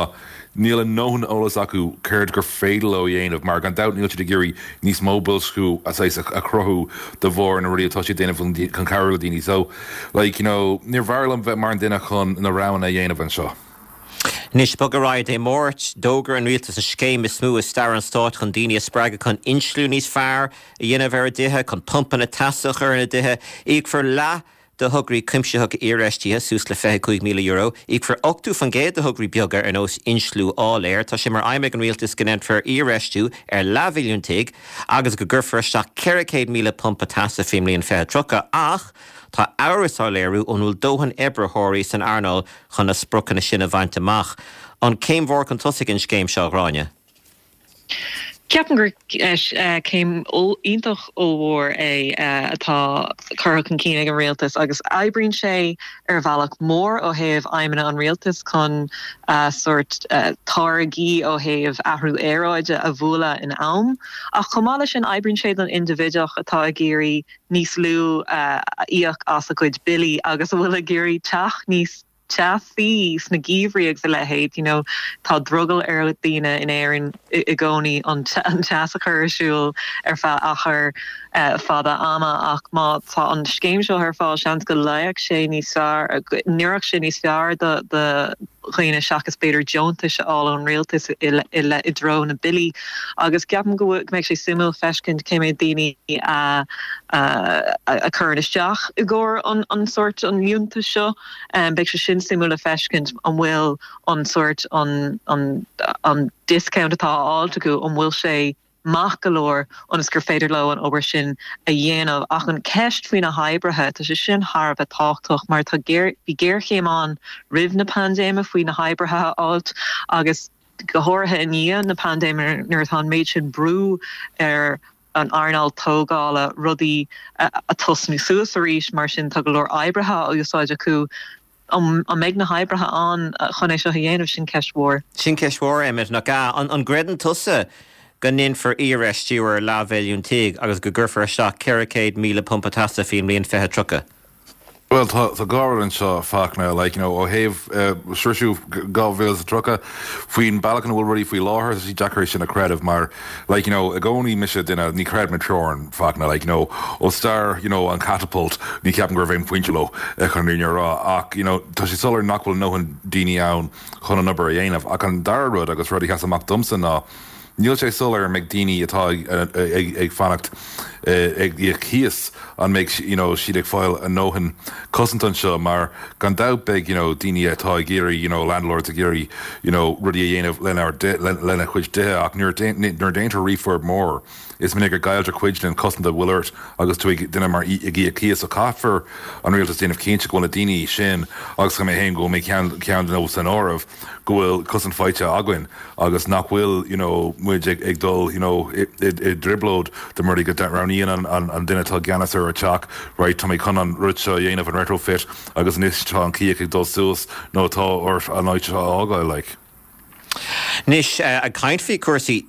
níl a ndóthain eolas acu céard gur féidir leo a dhéanamh mar gan dabht níl siad ag iarraidh níos mó boilsciú a saghas a chruthú de bharr na rudaí atá siad ag déanamh chun cabhrú le daoine so like you know níor mhaith liom bheith mar an duine chun na roghanna a dhéanamh anseo. Anois, bog ar aghaidh Dé Máirt, d'fhógair an rialtas an scéim is mó i stair an stáit chun daoine a spreagadh chun insliú níos fearr a dhéanamh ar a dtithe, chun pumpanna teasa a chur ina dtithe. Íocfar leath de thograí cuimsitheacha iarfheistithe, suas le €25,000. Íocfar 80% de thograí beaga ar nós insliú áiléir. Tá sé mar aidhm ag an rialtas go ndéanfar iarfheistiú ar leathmhilliún tigh agus go gcuirfear isteach 400,000 pumpa teasa faoin mbliain 2030 ach tá amhras á léiriú an bhfuil dóthain oibritheoirí san earnáil chun na spriocanna sin a bhaint amach. An céim mhór chun tosaigh an scéim seo, a Ghráinne? Ceapaim gur céim iontach ollmhór é atá curtha chun cinn ag an rialtas agus oibríonn sé ar bhealach mór ó thaobh aidhmeanna an rialtais chun sórt táirgí ó thaobh athrú aeráide a bhualadh in am. Ach chomh maith leis sin oibríonn sé don indibhideach atá ag iarraidh níos lú a íoc as a gcuid billí agus a bhfuil ag iarraidh teach níos teasaí sna geimhrí agus a leithéid, you know, tá drogall ar dhaoine in Éirinn i gcónaí an teas a chur ar siúl ar feadh achar fada ama ach má tá an scéim seo ar fáil seans go luífeadh sé níos fearr, go n-oirfeadh sé níos fearr do dhaoine seachas b'fhéidir deontais a fháil ón rialtas i i dtreo na billí agus ceapaim go mbeidh sé suimiúil feiscint cé mhéad daoine a a chuireann isteach i gcomhair an sórt an liúntais seo. Beidh sé sin suimiúil le feiscint an bhfuil an sórt an an discount atá á fháilt acu an bhfuil sé maith go leor ionas gur féidir leo an obair sin a dhéanamh. Ach an ceist faoi na hoibrithe, tá sé sin thar a bheith tábhachtach mar tá géar bhí géarchéim ann roimh na paindéime faoi na hoibrithe a fháilt agus go háirithe i ndiaidh na paindéime nuair atá an méid sin brú ar an earnáil tógála rudaí a tosnú suas arís, mar sin tá go leor oibrithe á úsáid acu. An mbeidh na hoibrithe ann chun é seo a dhéanamh? Sin ceist mhór. Sin ceist mhór, Emmet, nach ea? An gcreideann tusa go ndéanfar iarfheistiú ar leathmhilliún tigh agus go gcuirfear isteach 400,000 pumpa teasa faoin mbliain 2030? Bhuel, tá tá dhá rud anseo, Fachtna, like, you know, ó thaobh sroiseadh 2030, faoin bealach ina bhfuil rudaí faoi láthair, tá sé deacair é sin a chreideamh mar, like, you know, i gcónaí mise duine, ní chreidim i dteorainn, Fachtna, like, you know, ó stair, you know, an catapult, ní cheapaim go raibh aon phointe leo, chun an fhírinne a rá, ach, you know, tá sé soiléir nach bhfuil a ndóthain daoine ann chun an obair a dhéanamh. Ach an dara rud, agus rud a sheas amach domsa ná, Níl sé soiléir an mbeidh daoine atá ag fanacht ag íoc cíos, an mbeidh you know siad ag fáil a ndóthain cosanta anseo mar gan dabht beidh you know daoine atá ag iarraidh you know landlords ag iarraidh you know rudaí a dhéanamh lenár lena gcuid tithe ach nuair nuair a déantar refurb mór is minic go gcailltear cuid den chosaint a bhfuil ort agus tú ag duine mar ag íoc cíos so caithfear an rialtas déanamh cinnte go bhfuil na daoine sin agus mé féin go bhfuil mé ceann ceann de san áireamh go bhfuil cosaint faighte againn agus nach bhfuil you know muid ag ag dul you know i i i dtrioblóid de mar go roghnaíonn an an an duine atá i gceannas ar an teach right tá mé chun an rud seo a dhéanamh an retrofit agus anois tá an cíoch ag dul suas nó tá ort an áit seo a fhágáil like. Anois, ag caint faoi chúrsaí,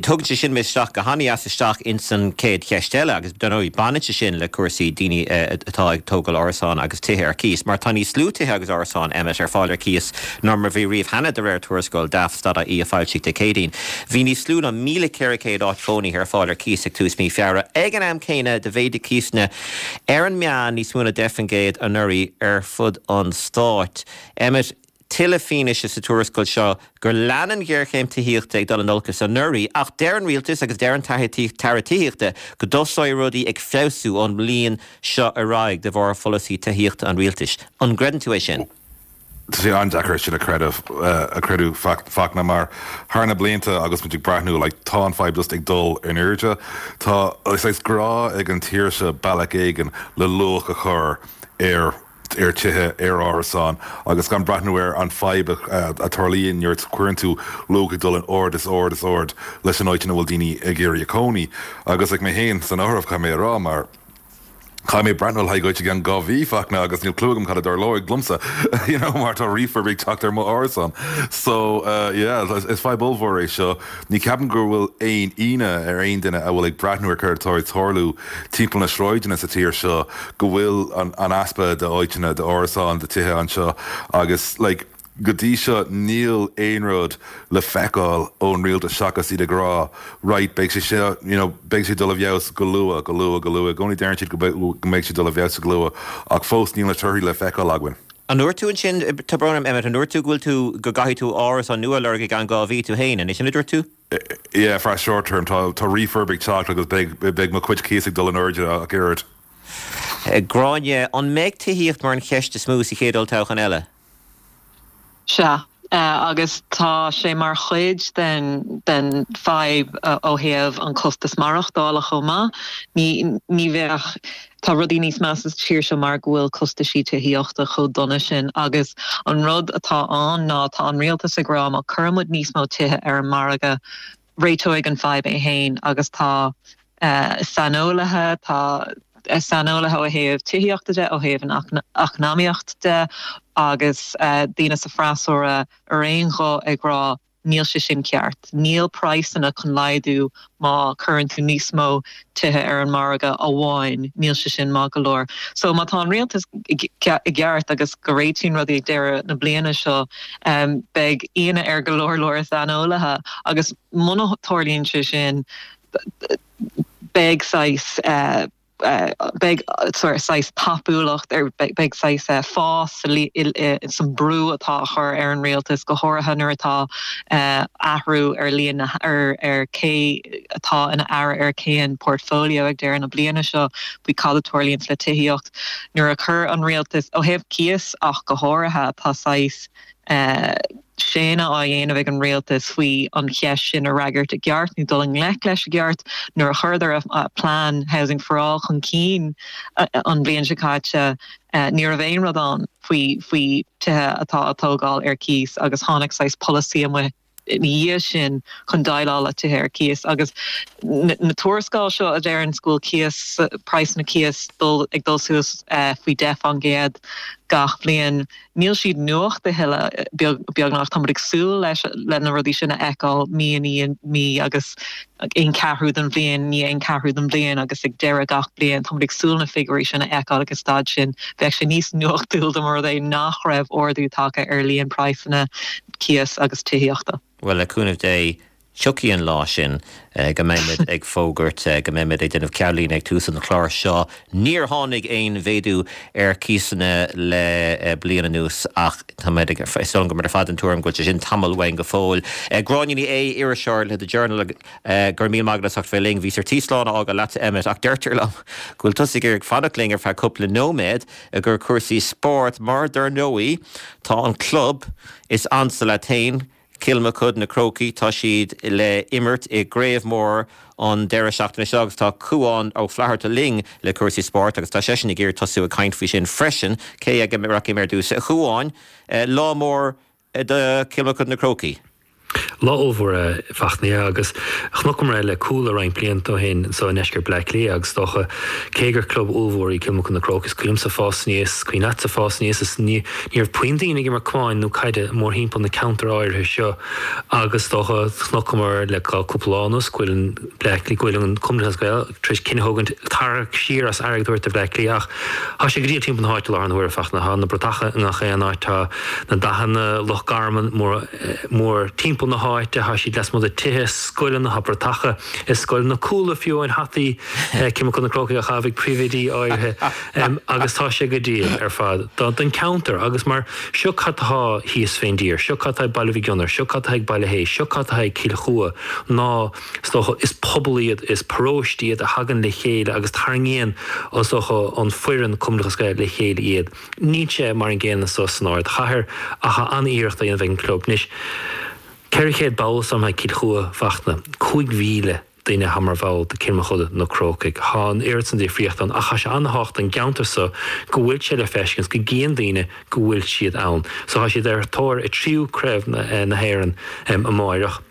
tugann sé sin mé isteach go han-dheas isteach ins an chéad cheist eile agus dar ndóigh baineann sé sin le cúrsaí daoine atá ag tógáil árasán agus tithe ar cíos mar tá níos lú tithe agus árasán, Emmet, ar fáil ar cíos ná mar bhí riamh cheana de réir tuarascáil Daft.ie a foilsíodh Dé Céadaoin. Bhí níos lú ná 1,400 áit chónaithe ar fáil ar cíos ag tús mí Feabhra. Ag an am céanna do mhéadaigh cíosanna ar an meán níos mó ná 10% anuraidh ar fud an stáit. Emmet. tuilleadh fianaise sa tuarascáil seo gur lean an ghéarchéim tithíochta ag dul in olcas anuraidh ach deir an rialtas agus deir an tAire Tithíochta go dtosóidh rudaí ag feabhsú ón mbliain seo ar aghaidh de bharr pholasaí tithíochta an rialtais. An gcreideann tú é sin? Tá sé an-deacair sin a chreideamh, a chreidiúint Fachtna, mar thar na blianta agus muid ag breathnú, like, tá an fadhb just ag dul in airde. Tá saghas grá ag an tír seo bealach éigin le luach a chur ar ar tithe, ar árasáin agus gan breathnú ar an fadhb a tarlaíonn nuair a chuireann tú luach ag dul in ard is ard is ard leis an áit ina bhfuil daoine ag iarraidh a cónaí. Agus like mé féin san áireamh caithfidh mé a rá mar caithfidh mé breathnú le haghaidh áit i gceann 2 mhí Fachtna agus níl clue agam cad a dtarlóidh liomsa you know mar tá refurb ag teacht ar mo árasán. So yeah is fadhb ollmhór é seo. Ní ceapaim go bhfuil aon ionadh ar aon duine a bhfuil ag breathnú ar céard atá ag tarlú timpeall na sráideanna sa tír seo go bhfuil an easpa de áiteanna, de árasáin, de tithe anseo agus like go dtí seo níl aon rud le feiceáil ón rialtas seachas iad ag rá right beidh sé seo you know beidh sé dul i bhfeabhas go luath, go luath, go luath. I gcónaí deireann siad go mbeidh sé dul i bhfeabhas go luath ach fós níl na torthaí le feiceáil againn. An ndúirt tú ansin, tá brón orm Emmet, an ndúirt tú go bhfuil tú, go gcaithfidh tú árasán nua a lorg i gceann 2 mhí tú féin, an é sin a dúirt tú? Yeah, for short term, tá, tá refurb ag teacht agus beidh, beidh mo chuid cíos ag dul in airde ach oiread. Gráinne, an mbeidh tithíocht mar an cheist is mó sa chéad olltoghchán eile? Sea, agus tá sé mar chuid den den fadhb ó thaobh an costas maireachtála chomh maith. Ní ní bheadh, tá rudaí níos measa sa tír seo mar go bhfuil costaisí tithíochta chomh dona sin agus an rud atá ann ná tá an rialtas ag rá má cuireann muid níos mó tithe ar an margadh, réiteoidh an fadhb é féin agus tá saineolaithe, tá saineolaithe ó thaobh tithíochta de, ó thaobh an eacnamaíocht de agus daoine sa freasúra ar aon ghuth ag rá níl sé sin ceart, níl praghsanna chun laghdú má cuireann tú níos mó tithe ar an margadh amháin, níl sé sin maith go leor. So má tá an rialtas i gceart agus go réitíonn rudaí ag deireadh na bliana seo, Beidh ionadh ar go leor leor saineolaithe agus muna dtarlaíonn sé sin beidh saghas beidh saghas tapúlacht ar beidh saghas fás san brú atá á chur ar an rialtas go háirithe nuair atá athrú ar líon na ar ar cé atá ina aire ar cén portfolio ag deireadh na bliana seo faoi cad a tarlaíonns le tithíocht. Nuair a chuir an rialtas, ó thaobh cíos ach go háirithe, tá saghas séanadh á dhéanamh ag an rialtas faoi an cheist sin a fhreagairt i gceart nó dul i ngleic leis i gceart. Nuair a chuireadar a plean Housing for All chun cinn an bhliain seo caite, ní raibh aon rud ann faoi faoi tithe atá á dtógáil ar cíos agus tháinig saghas polasaí amuigh ina dhiaidh sin chun déileáil le tithe ar cíos agus na tuarascáil seo a deireanns go bhfuil cíos, praghsanna cíos dul, ag dul suas faoi 10% gach bliain, níl siad nuacht a thuilleadh beag, beagnach. Tá muid ag súil leis, le na rudaí sin a fheiceáil mí i ndiaidh mí agus aon cheathrú den bhliain, i ndiaidh aon cheathrú den bhliain agus ag deireadh gach bliain. Tá muid ag súil na figiúirí sin a fheiceáil ag an staid sin. Bheadh sé níos nuachtúil dá mba rud é nach raibh ardú tagtha ar líon praghsanna cíos agus tithíochta. Bhuel, le cúnamh Dé, tiocfaidh an lá sin go mbeimid ag fógairt, go mbeimid ag déanamh ceannlíne ag tús an chláir seo. Níor tháinig aon mhéadú ar chíosanna le bliain anuas ach táimid ag, is dóigh liom go bhfuil muid ar fad den tuairim go bhfuil sé sin tamall uainn go fóill. Gráinne Ní Aodha, iriseoir le The Journal, go raibh míle maith agat as ucht bheith linn. Bhíos ar tí slán a fhágáil leatsa, Emmet, ach deirtear liom go bhfuil tusa ag iarraidh fanacht linn ar feadh cúpla nóiméad i gcomhair cúrsaí spóirt mar, dar ndóigh, tá an club is ansa leat féin, Cill Mochuda, na Crócaigh, tá siad le imirt i gcraobh mór an deireadh seachtaine seo agus tá Cúán Ó Flatharta linn le cúrsaí spóirt agus tá seisean ag iarraidh tosú ag caint faoi sin freisin. Cé aige a rachaidh mé ar dtús? A Chúáin, lá mór do Chill Mochuda na Crócaigh. Lá ollmhór a Fachtna agus chonaiceamar é le Cuala roinnt blianta ó shin anso i ndeisceart Bleá Cliath agus is dócha cé gur club ollmhór í Cill Mochuda na Crócaigh is cuimhin liomsa fás aníos, cuimhin leatsa fás aníos is ní raibh puinn daoine ag imirt camáin nó caide mórthimpeall na ceantair áirithe seo agus is dócha chonaiceamar le cúpla lá anuas go bhfuil an Bleá Cliath go bhfuil an Cumann Lúthchleas Gael tar éis cinneadh a thógaint tarrac siar as airgead a thabhairt do Bhleá Cliath ach tá sé go diail timpeall na háite i láthair na huaire Fachtna. Tá na bratacha i ngach aon áit, tá na dathanna Loch Garman mór, mór timpeall. timpeall na háite, tá siad lasmuigh de tithe, scoileanna, tá bratacha i scoileanna, chuala fiú amháin hataí Cill Mochuda Na Crócaigh á chaitheamh ag príomhoidí áirithe agus tá sé go diail ar fad don cheantar agus mar seo cad tá thíos fén dtír, seo cad tá ag Baile Mhig Fhionnair, seo cad tá ag Baile Héis, seo cad tá ag Cill Chua ná is dócha is pobal iad, is paróistí iad a thagann le chéile agus tarraingíonn is dócha an foireann Cumann Lúthchleas Gael le chéile iad. Níl sé mar an gcéanna so san ardchathair ach tá an-iarracht á dhéanamh ag an gclub. Anois, 400 ball is dóigh liom ag Cill Chua, Fachtna, 5,000 duine atá mar bhall de Cill Mochuda Na Crócaigh. Tá an oiread san difríocht ann ach tá sé an-thábhachtach don gceantar so go bhfuil sé le feiscint, go gcíonn daoine go bhfuil siad ann. So tá siad ar thóir a tríú craobh na hÉireann amáireach.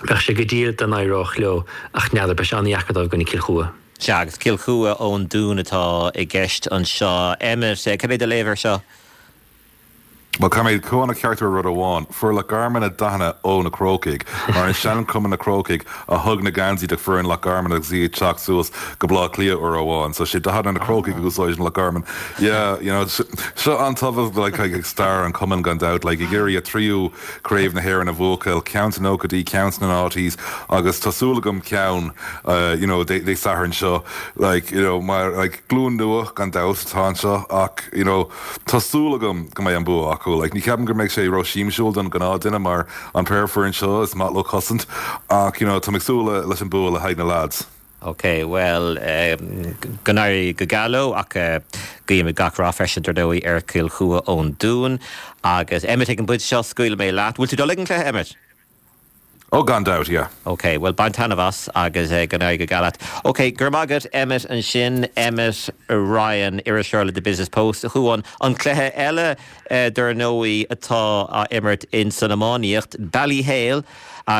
Bheadh sé go diail dá n-éireodh leo ach n'fheadar, beidh sé an-dheacair dóibh i gcoinne Cill Chua. Sea, agus Cill Chua ón Dún atá i gceist anseo. Emmet, cad é do léamh air seo? Bhuel, caithfidh mé Cuán a cheartú ar rud amháin. Fuair Loch Garman a dathanna ó na Crócaigh, mar an sean-chumann na Crócaigh a thug na geansaí do foireann Loch Garman agus í ag teacht suas go Baile Átha Cliath uair amháin. So sé dathanna na Crócaigh a úsáideann Loch Garman. Yeah, you know, seo an-tábhachtach like, ag stair an chumainn gan dabht, like, ag iarraidh a tríú Craobh na hÉireann a bhuachail, ceann sna nóchaidí, ceann sna noughties agus tá súil agam ceann you know Dé Sathairn seo like you know mar like glúin nua gan dabht atá anseo ach you know tá súil agam go mbeidh an bua acu. Like ní cheapaim go mbeidh sé ró-siamsúil don ghnáth duine mar an péire foireann seo is maith leo cosaint ach you know tá mé ag súil leis an bua le haghaidh na lads. Ok, bhuel, go n-éirí go geal leo ach guímid gach rath freisin, dar ndóigh, ar Chill Chua ón Dún. Agus Emmet, ag an bpointe seo, scaoilfidh mé leat. Bhfuil tú dul ag an cluiche, Emmet? Oh, gan dabht, yeah. Ok, bhuel, bain taitneamh as agus go n-éirí go geal leat. Ok, go raibh maith agat, Emmet, ansin. Emmet Ryan, iriseoir le The Business Post. A Chuáin, an cluiche eile, dar ndóigh, atá á imirt in san iománaíocht, Ballyhale,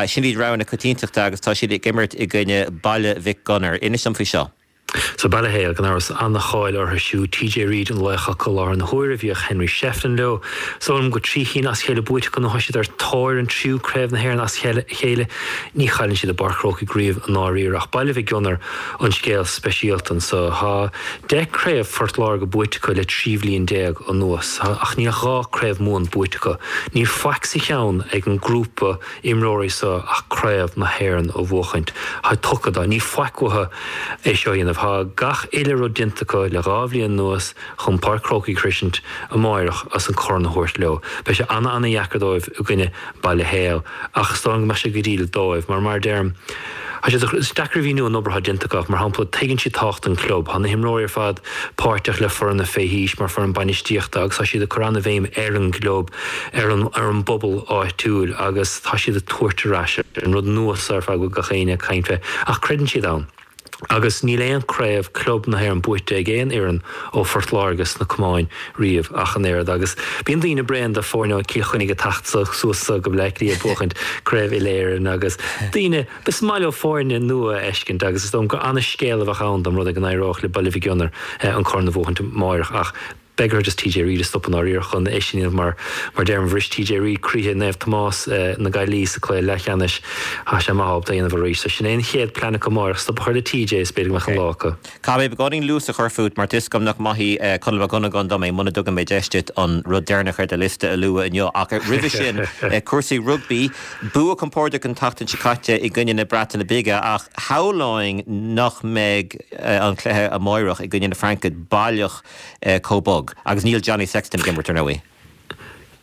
Sin iad rogha na coitiantachta agus tá siad ag imirt i gcoinne Baile Mhic Gonair. Inis dom faoi seo. So Ballyhale, gan amhras, an-cháil orthu siúd. TJ Reid an laoch acu i láthair na huaire. Bhíodh Henry Shefflin leo. Is dóigh liom go 3 chinn as a chéile buaite acu nó tá siad ar tóir an tríú craobh na hÉireann as a chéile. Ní chailleann siad i bPáirc Chrócaigh riamh i ndáiríre ach Baile Mhic Gonair an scéal speisialta anso. Tá 10 craobh Phort Láirge buaite acu le 13 bhliain anuas, ach níl ach 2 craobh Mumhan buaite acu. Níl faic sa cheann ag an grúpa imreoirí seo ach craobh na hÉireann a bhuachaint. Tá tugtha dó. Níl faic uathu é seo a dhéanamh. Tá gach uile rud déanta acu le 2 bhliain anuas chun Páirc Chrócaigh a shroisint amáireach agus an corn a thabhairt leo. Beidh sé ana-ana-dheacair dóibh i gcoinne Baile Héil ach is dóigh liom go mbeidh sé go diail dóibh mar, mar a deirim, tá sé is deacair a mhíniú an obair atá déanta acu. Mar shampla, tuigeann siad tábhacht an chlub. Tá na himreoirí ar fad páirteach le foireann na fé haois mar foireann bainistíochta agus tá siad ag cur ana-bhéim ar an gclub, ar an ar an bpobal áitiúil agus tá siad ag tabhairt ar ais an rud nua seo ar fad go bhfuil gach éinne ag caint fé ach creideann siad ann. Agus níl aon craobh club na hÉireann buaite ag aon fhoireann ó Phort Láirge sna camáin riamh ach an oiread. Agus bíonn daoine bréan de foirne ó Cill Chainnigh ag teacht suas so go Bleá Cliath ag buachaint craobh uile-Éireann agus daoine, is maith leo foirne nua a fheiscint agus is dóigh liom gur ana-scéal a bheadh ann dá mba rud é go n-éireodh le Baile Mhic Gonair an corn a bhuachaint amáireach ach Beidh orthu just TJ Reid a stopadh i ndáiríre chun é sin a dhéanamh mar mar deirim bhris TJ Reid croíthe Naomh Tomás na Gaillimhe sa cluiche leathcheannais. Tá sé maith ábalta é a dhéanamh arís. So sin é an chéad plean acu amáireach, stop a chur le TJ is b'fhéidir go mbeadh an lá acu. Caithfidh mé beagáinín luas a chur fút mar tá 'fhios agam nach maithfidh Conall Mac Dhonnagáin dom é muna dtugann mé deis duit an rud deireanach ar do liosta a lua inniu. Ach roimhe sin, cúrsaí rugbaí. Bua compordach an tseachtain seo caite i gcoinne na Breataine Bige ach shamhlóinn nach mbeidh an cluiche amáireach i gcoinne na Fraince baileach chomh bog. Agus níl Johnny Sexton ag imirt, ar ndóigh.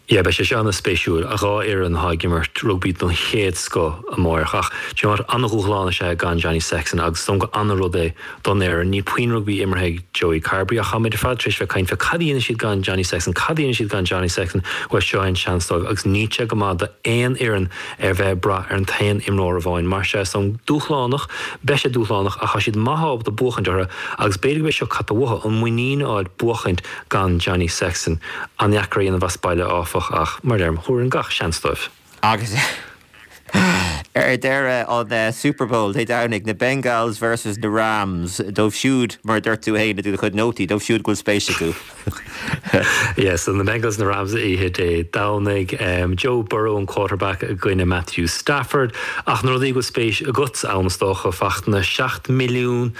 Yeah, beidh sé seo ana-spéisiúil. Dhá fhoireann atá ag imirt rugbaí den chéad scoth amáireach. Ach, do you know what, ana-dhúshlán is ea é gan Johnny Sexton agus is dóigh liom gur ana-rud é don fhoireann. Níl puinn rugbaí imeartha ag Joey Carbery ach táimid ar fad tar éis bheith ag caint fé cad a dhéanfaidh siad gan Johnny Sexton, cad a dhéanfaidh siad gan Johnny Sexton? Bhuel, seo é an seans dóibh agus níl sé go maith d'aon fhoireann ar bheith ag brath ar an t-aon imreoir amháin. Mar sea, is dóigh liom dúshlánach, beidh sé dúshlánach ach tá siad maith ábalta buachaint orthu agus b'fhéidir go b'é seo cad tá uathu, an muinín a fháil buachaint gan Johnny Sexton. An-dheacair a dhéanamh as baile áfach ach, mar a deirim, thabharfainn gach seans dóibh. Agus ar deireadh, an Super Bowl Dé Domhnaigh, na Bengals versus na Rams, dóibh siúd, mar a dúirt tú féin i do chuid nótaí, dóibh siúd go bhfuil spéis acu. Yeah, so na Bengals na Rams oíche Dé Domhnaigh. Joe Burrow an quarterback i gcoinne Matthew Stafford. Ach na rudaí go bhfuil spéis agatsa ann is dócha, Fachtna, 7 milliún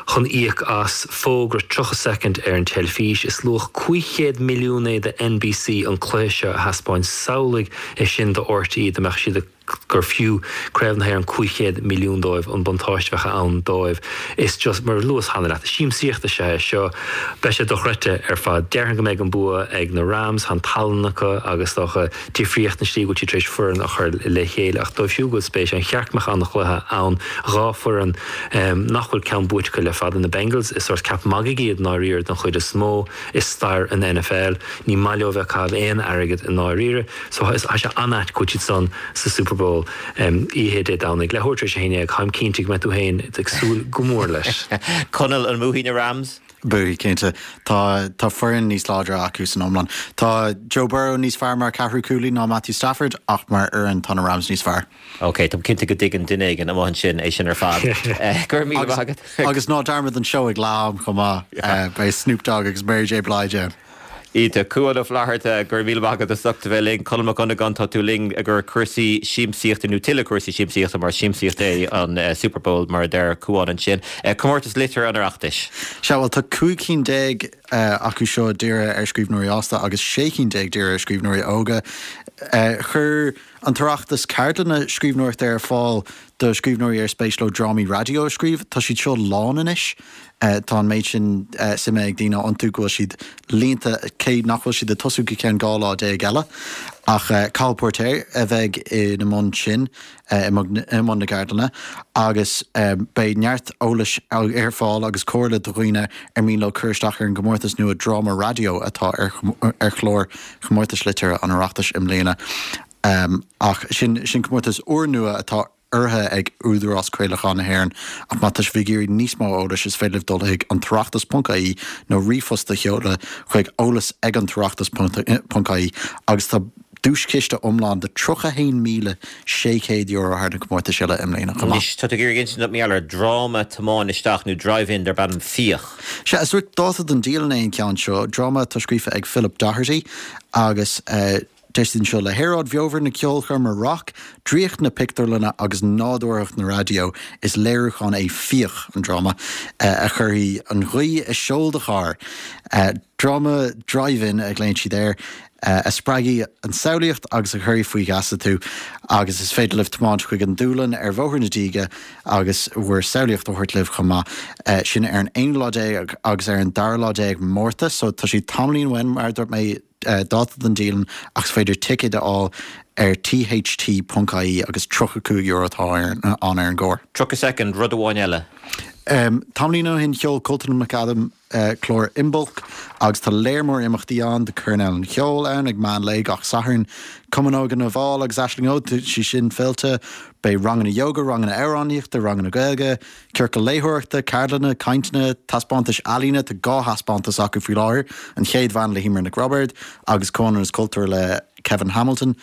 chun íoc as fógra 30 soicind ar an teilifís. Is luach 500 milliún é do NBC an cluiche seo a thaispeáint. Samhlaigh é sin do RTÉ dá mbeadh siad ag. gur fiú Craobh na hÉireann 500 milliún dóibh, an buntáiste a bheadh ann dóibh. Is just, mar a luas cheana leat, siamsaíocht is ea é seo. Beidh sé dochreidte ar fad. Déarfainn go mbeidh an bua ag na Rams, tá an tallann acu agus is dócha difríocht na slí go bhfuil siad tar éis foireann a chur le chéile. Ach dóibh siúd go bhfuil spéis ann, cheart go mbeadh an-chluiche ann. 2 foireann nach bhfuil ceann buaite acu le fada, na Bengals, is sórt ceap magaidh iad i ndáiríre den chuid is mó i stair an NFL. Ní maith leo a bheith ag caitheamh aon airgead i ndáiríre. So tá sé an-ait go bhfuil siad san sa Super Bowl oíche Dé Domhnaigh, leathuair tar éis a 11. Táim cinnte go mbeidh tú féin ag súil go mór leis. Conall, an mbuafaidh na Rams? Buafaidh, cinnte. Tá tá foireann níos láidre acu san iomlán. Tá Joe Burrow níos fearr mar ceathrú cúlaí ná Matthew Stafford ach mar fhoireann tá na Rams níos fearr. Ok, táim cinnte go dtuigeann duine éigin amuigh ansin é sin ar fad. Go raibh míle maith agat. Agus ná dearmad an seó ag leath am chomh maith. Beidh Snoop Dogg agus Mary J Blige ann. Iontach. Cuán Ó Flatharta, go raibh míle maith agat as ucht a bheith linn. Conall Mac Dhonnagáin, tá tú linn i gcomhair cúrsaí siamsaíochta nó tuilleadh cúrsaí siamsaíochta mar siamsaíocht é an Super Bowl mar a deir Cuán ansin. Comórtas Liteartha an Oireachtais. Sea, bhuel tá 15 cinn acu seo dírithe ar scríbhneoirí fhásta agus 16 cinn dírithe ar scríbhneoirí óga. Chuir an tOireachtas ceardlanna scríbhneoireachta ar fáil do scríbhneoirí ar spéis leo drámaí raidió a scríobh. Tá siad seo lán anois. Tá an méid sin suime ag daoine iontu go bhfuil siad líonta, cé nach bhfuil siad ag tosú go ceann 12 lá eile. Ach Cathal Póirtéir a bheidh ina mbun sin, i mbun na gceardlanna, agus beidh neart eolais ar fáil agus comhairle do dhaoine ar mian leo cur isteach ar an gcomórtas nua dráma raidió atá ar chlár Chomórtais Liteartha an Oireachtais i mbliana. Ach sin comórtas úrnua atá urraithe ag Údarás Craolacháin na hÉireann ach má tá sibh ag iarraidh níos mó eolais is féidir libh dul chuig an tOireachtas ponc ie nó ríomhphost a sheoladh chuig eolas ag an tOireachtas ponc ie agus tá duaischiste iomlán de €31,600 thar na comórtais uile i mbliana chomh maith. Anois tá tú ag iarraidh insint dom mar gheall ar dráma tiomáin isteach nó drive-in darb ainm Fiach. Sea, is sórt dáta don dialann é an ceann seo, dráma atá scríofa ag Philip Doherty agus. Deir siad anseo, le haeráid bheomhar na ceolchoirme roc, draíocht na pictiúrlainne agus nádúrthacht na raidió, is léiriúchán é Fiach, an dráma, a chuirfidh an ghaoth i seol do chairr. Dráma drive-in a ghlaonn siad air, a spreagfaidh an tsamhlaíocht agus a chuirfidh faoi gheasa tú. Agus is féidir libh tiomáint chuig an dúlann ar Bhóthar na Díge agus bhur samhlaíocht a thabhairt libh chomh maith. Sin ar an aonú lá déag agus ar an dara lá déag Márta, so tá sé tamaillín uainn, mar a dúirt mé. dáta don dialann ach is féidir ticéid a fháil ar tht.ie agus €35 atá ann ar an gcarr. 30 soicind, rud amháin eile. Tamaillín ó shin sheol Coltan McAdam clár Imbolc agus tá léar mór imeachtaí ann, tá Coirnéal an Cheoil ann ag meán lae gach Satharn, Cumann Óige na bhFál agus Aisling Óg, tá sí sin fillte, beidh ranganna yoga, ranganna amhránaíochta, ranganna Gaeilge, Ciorcal léitheoireachta, ceardlanna, cainteanna, taispeántais ealaíne, tá 2 thaispeántas acu faoi láthair, An Chéad Bhean le hEmer Nic Roibeaird agus Comhionannas Cultúir le Kevin Hamilton.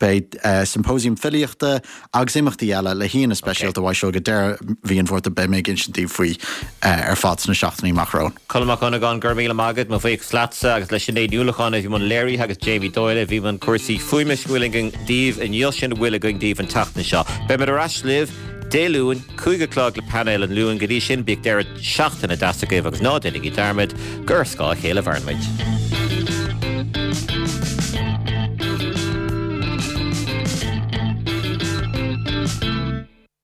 Beidh symposium filíochta agus imeachtaí eile le haíonna speisialta uaidh seo go deireadh mhí an Mhárta. Beidh mé ag insint daoibh faoi ar fad sna seachtainí amach romhainn. Conall Mac Dhonnagáin, go raibh míle maith agat. Mo bhuíochas leatsa agus le Sinéad Ní Uallacháin a bhí i mbun léirithe agus Jamie Doyle a bhí i mbun cúrsaí fuaime sin a bhfuil againn daoibh inniu sin a bhfuil againn daoibh an tseachtain seo. Beimid ar ais libh Dé Luain, 5 o'clock le painéal an Luain. Go dtí sin, bíodh deireadh seachtaine deas agaibh agus ná déanaigí dearmad gur ar scáth a chéile a mhaireann muid.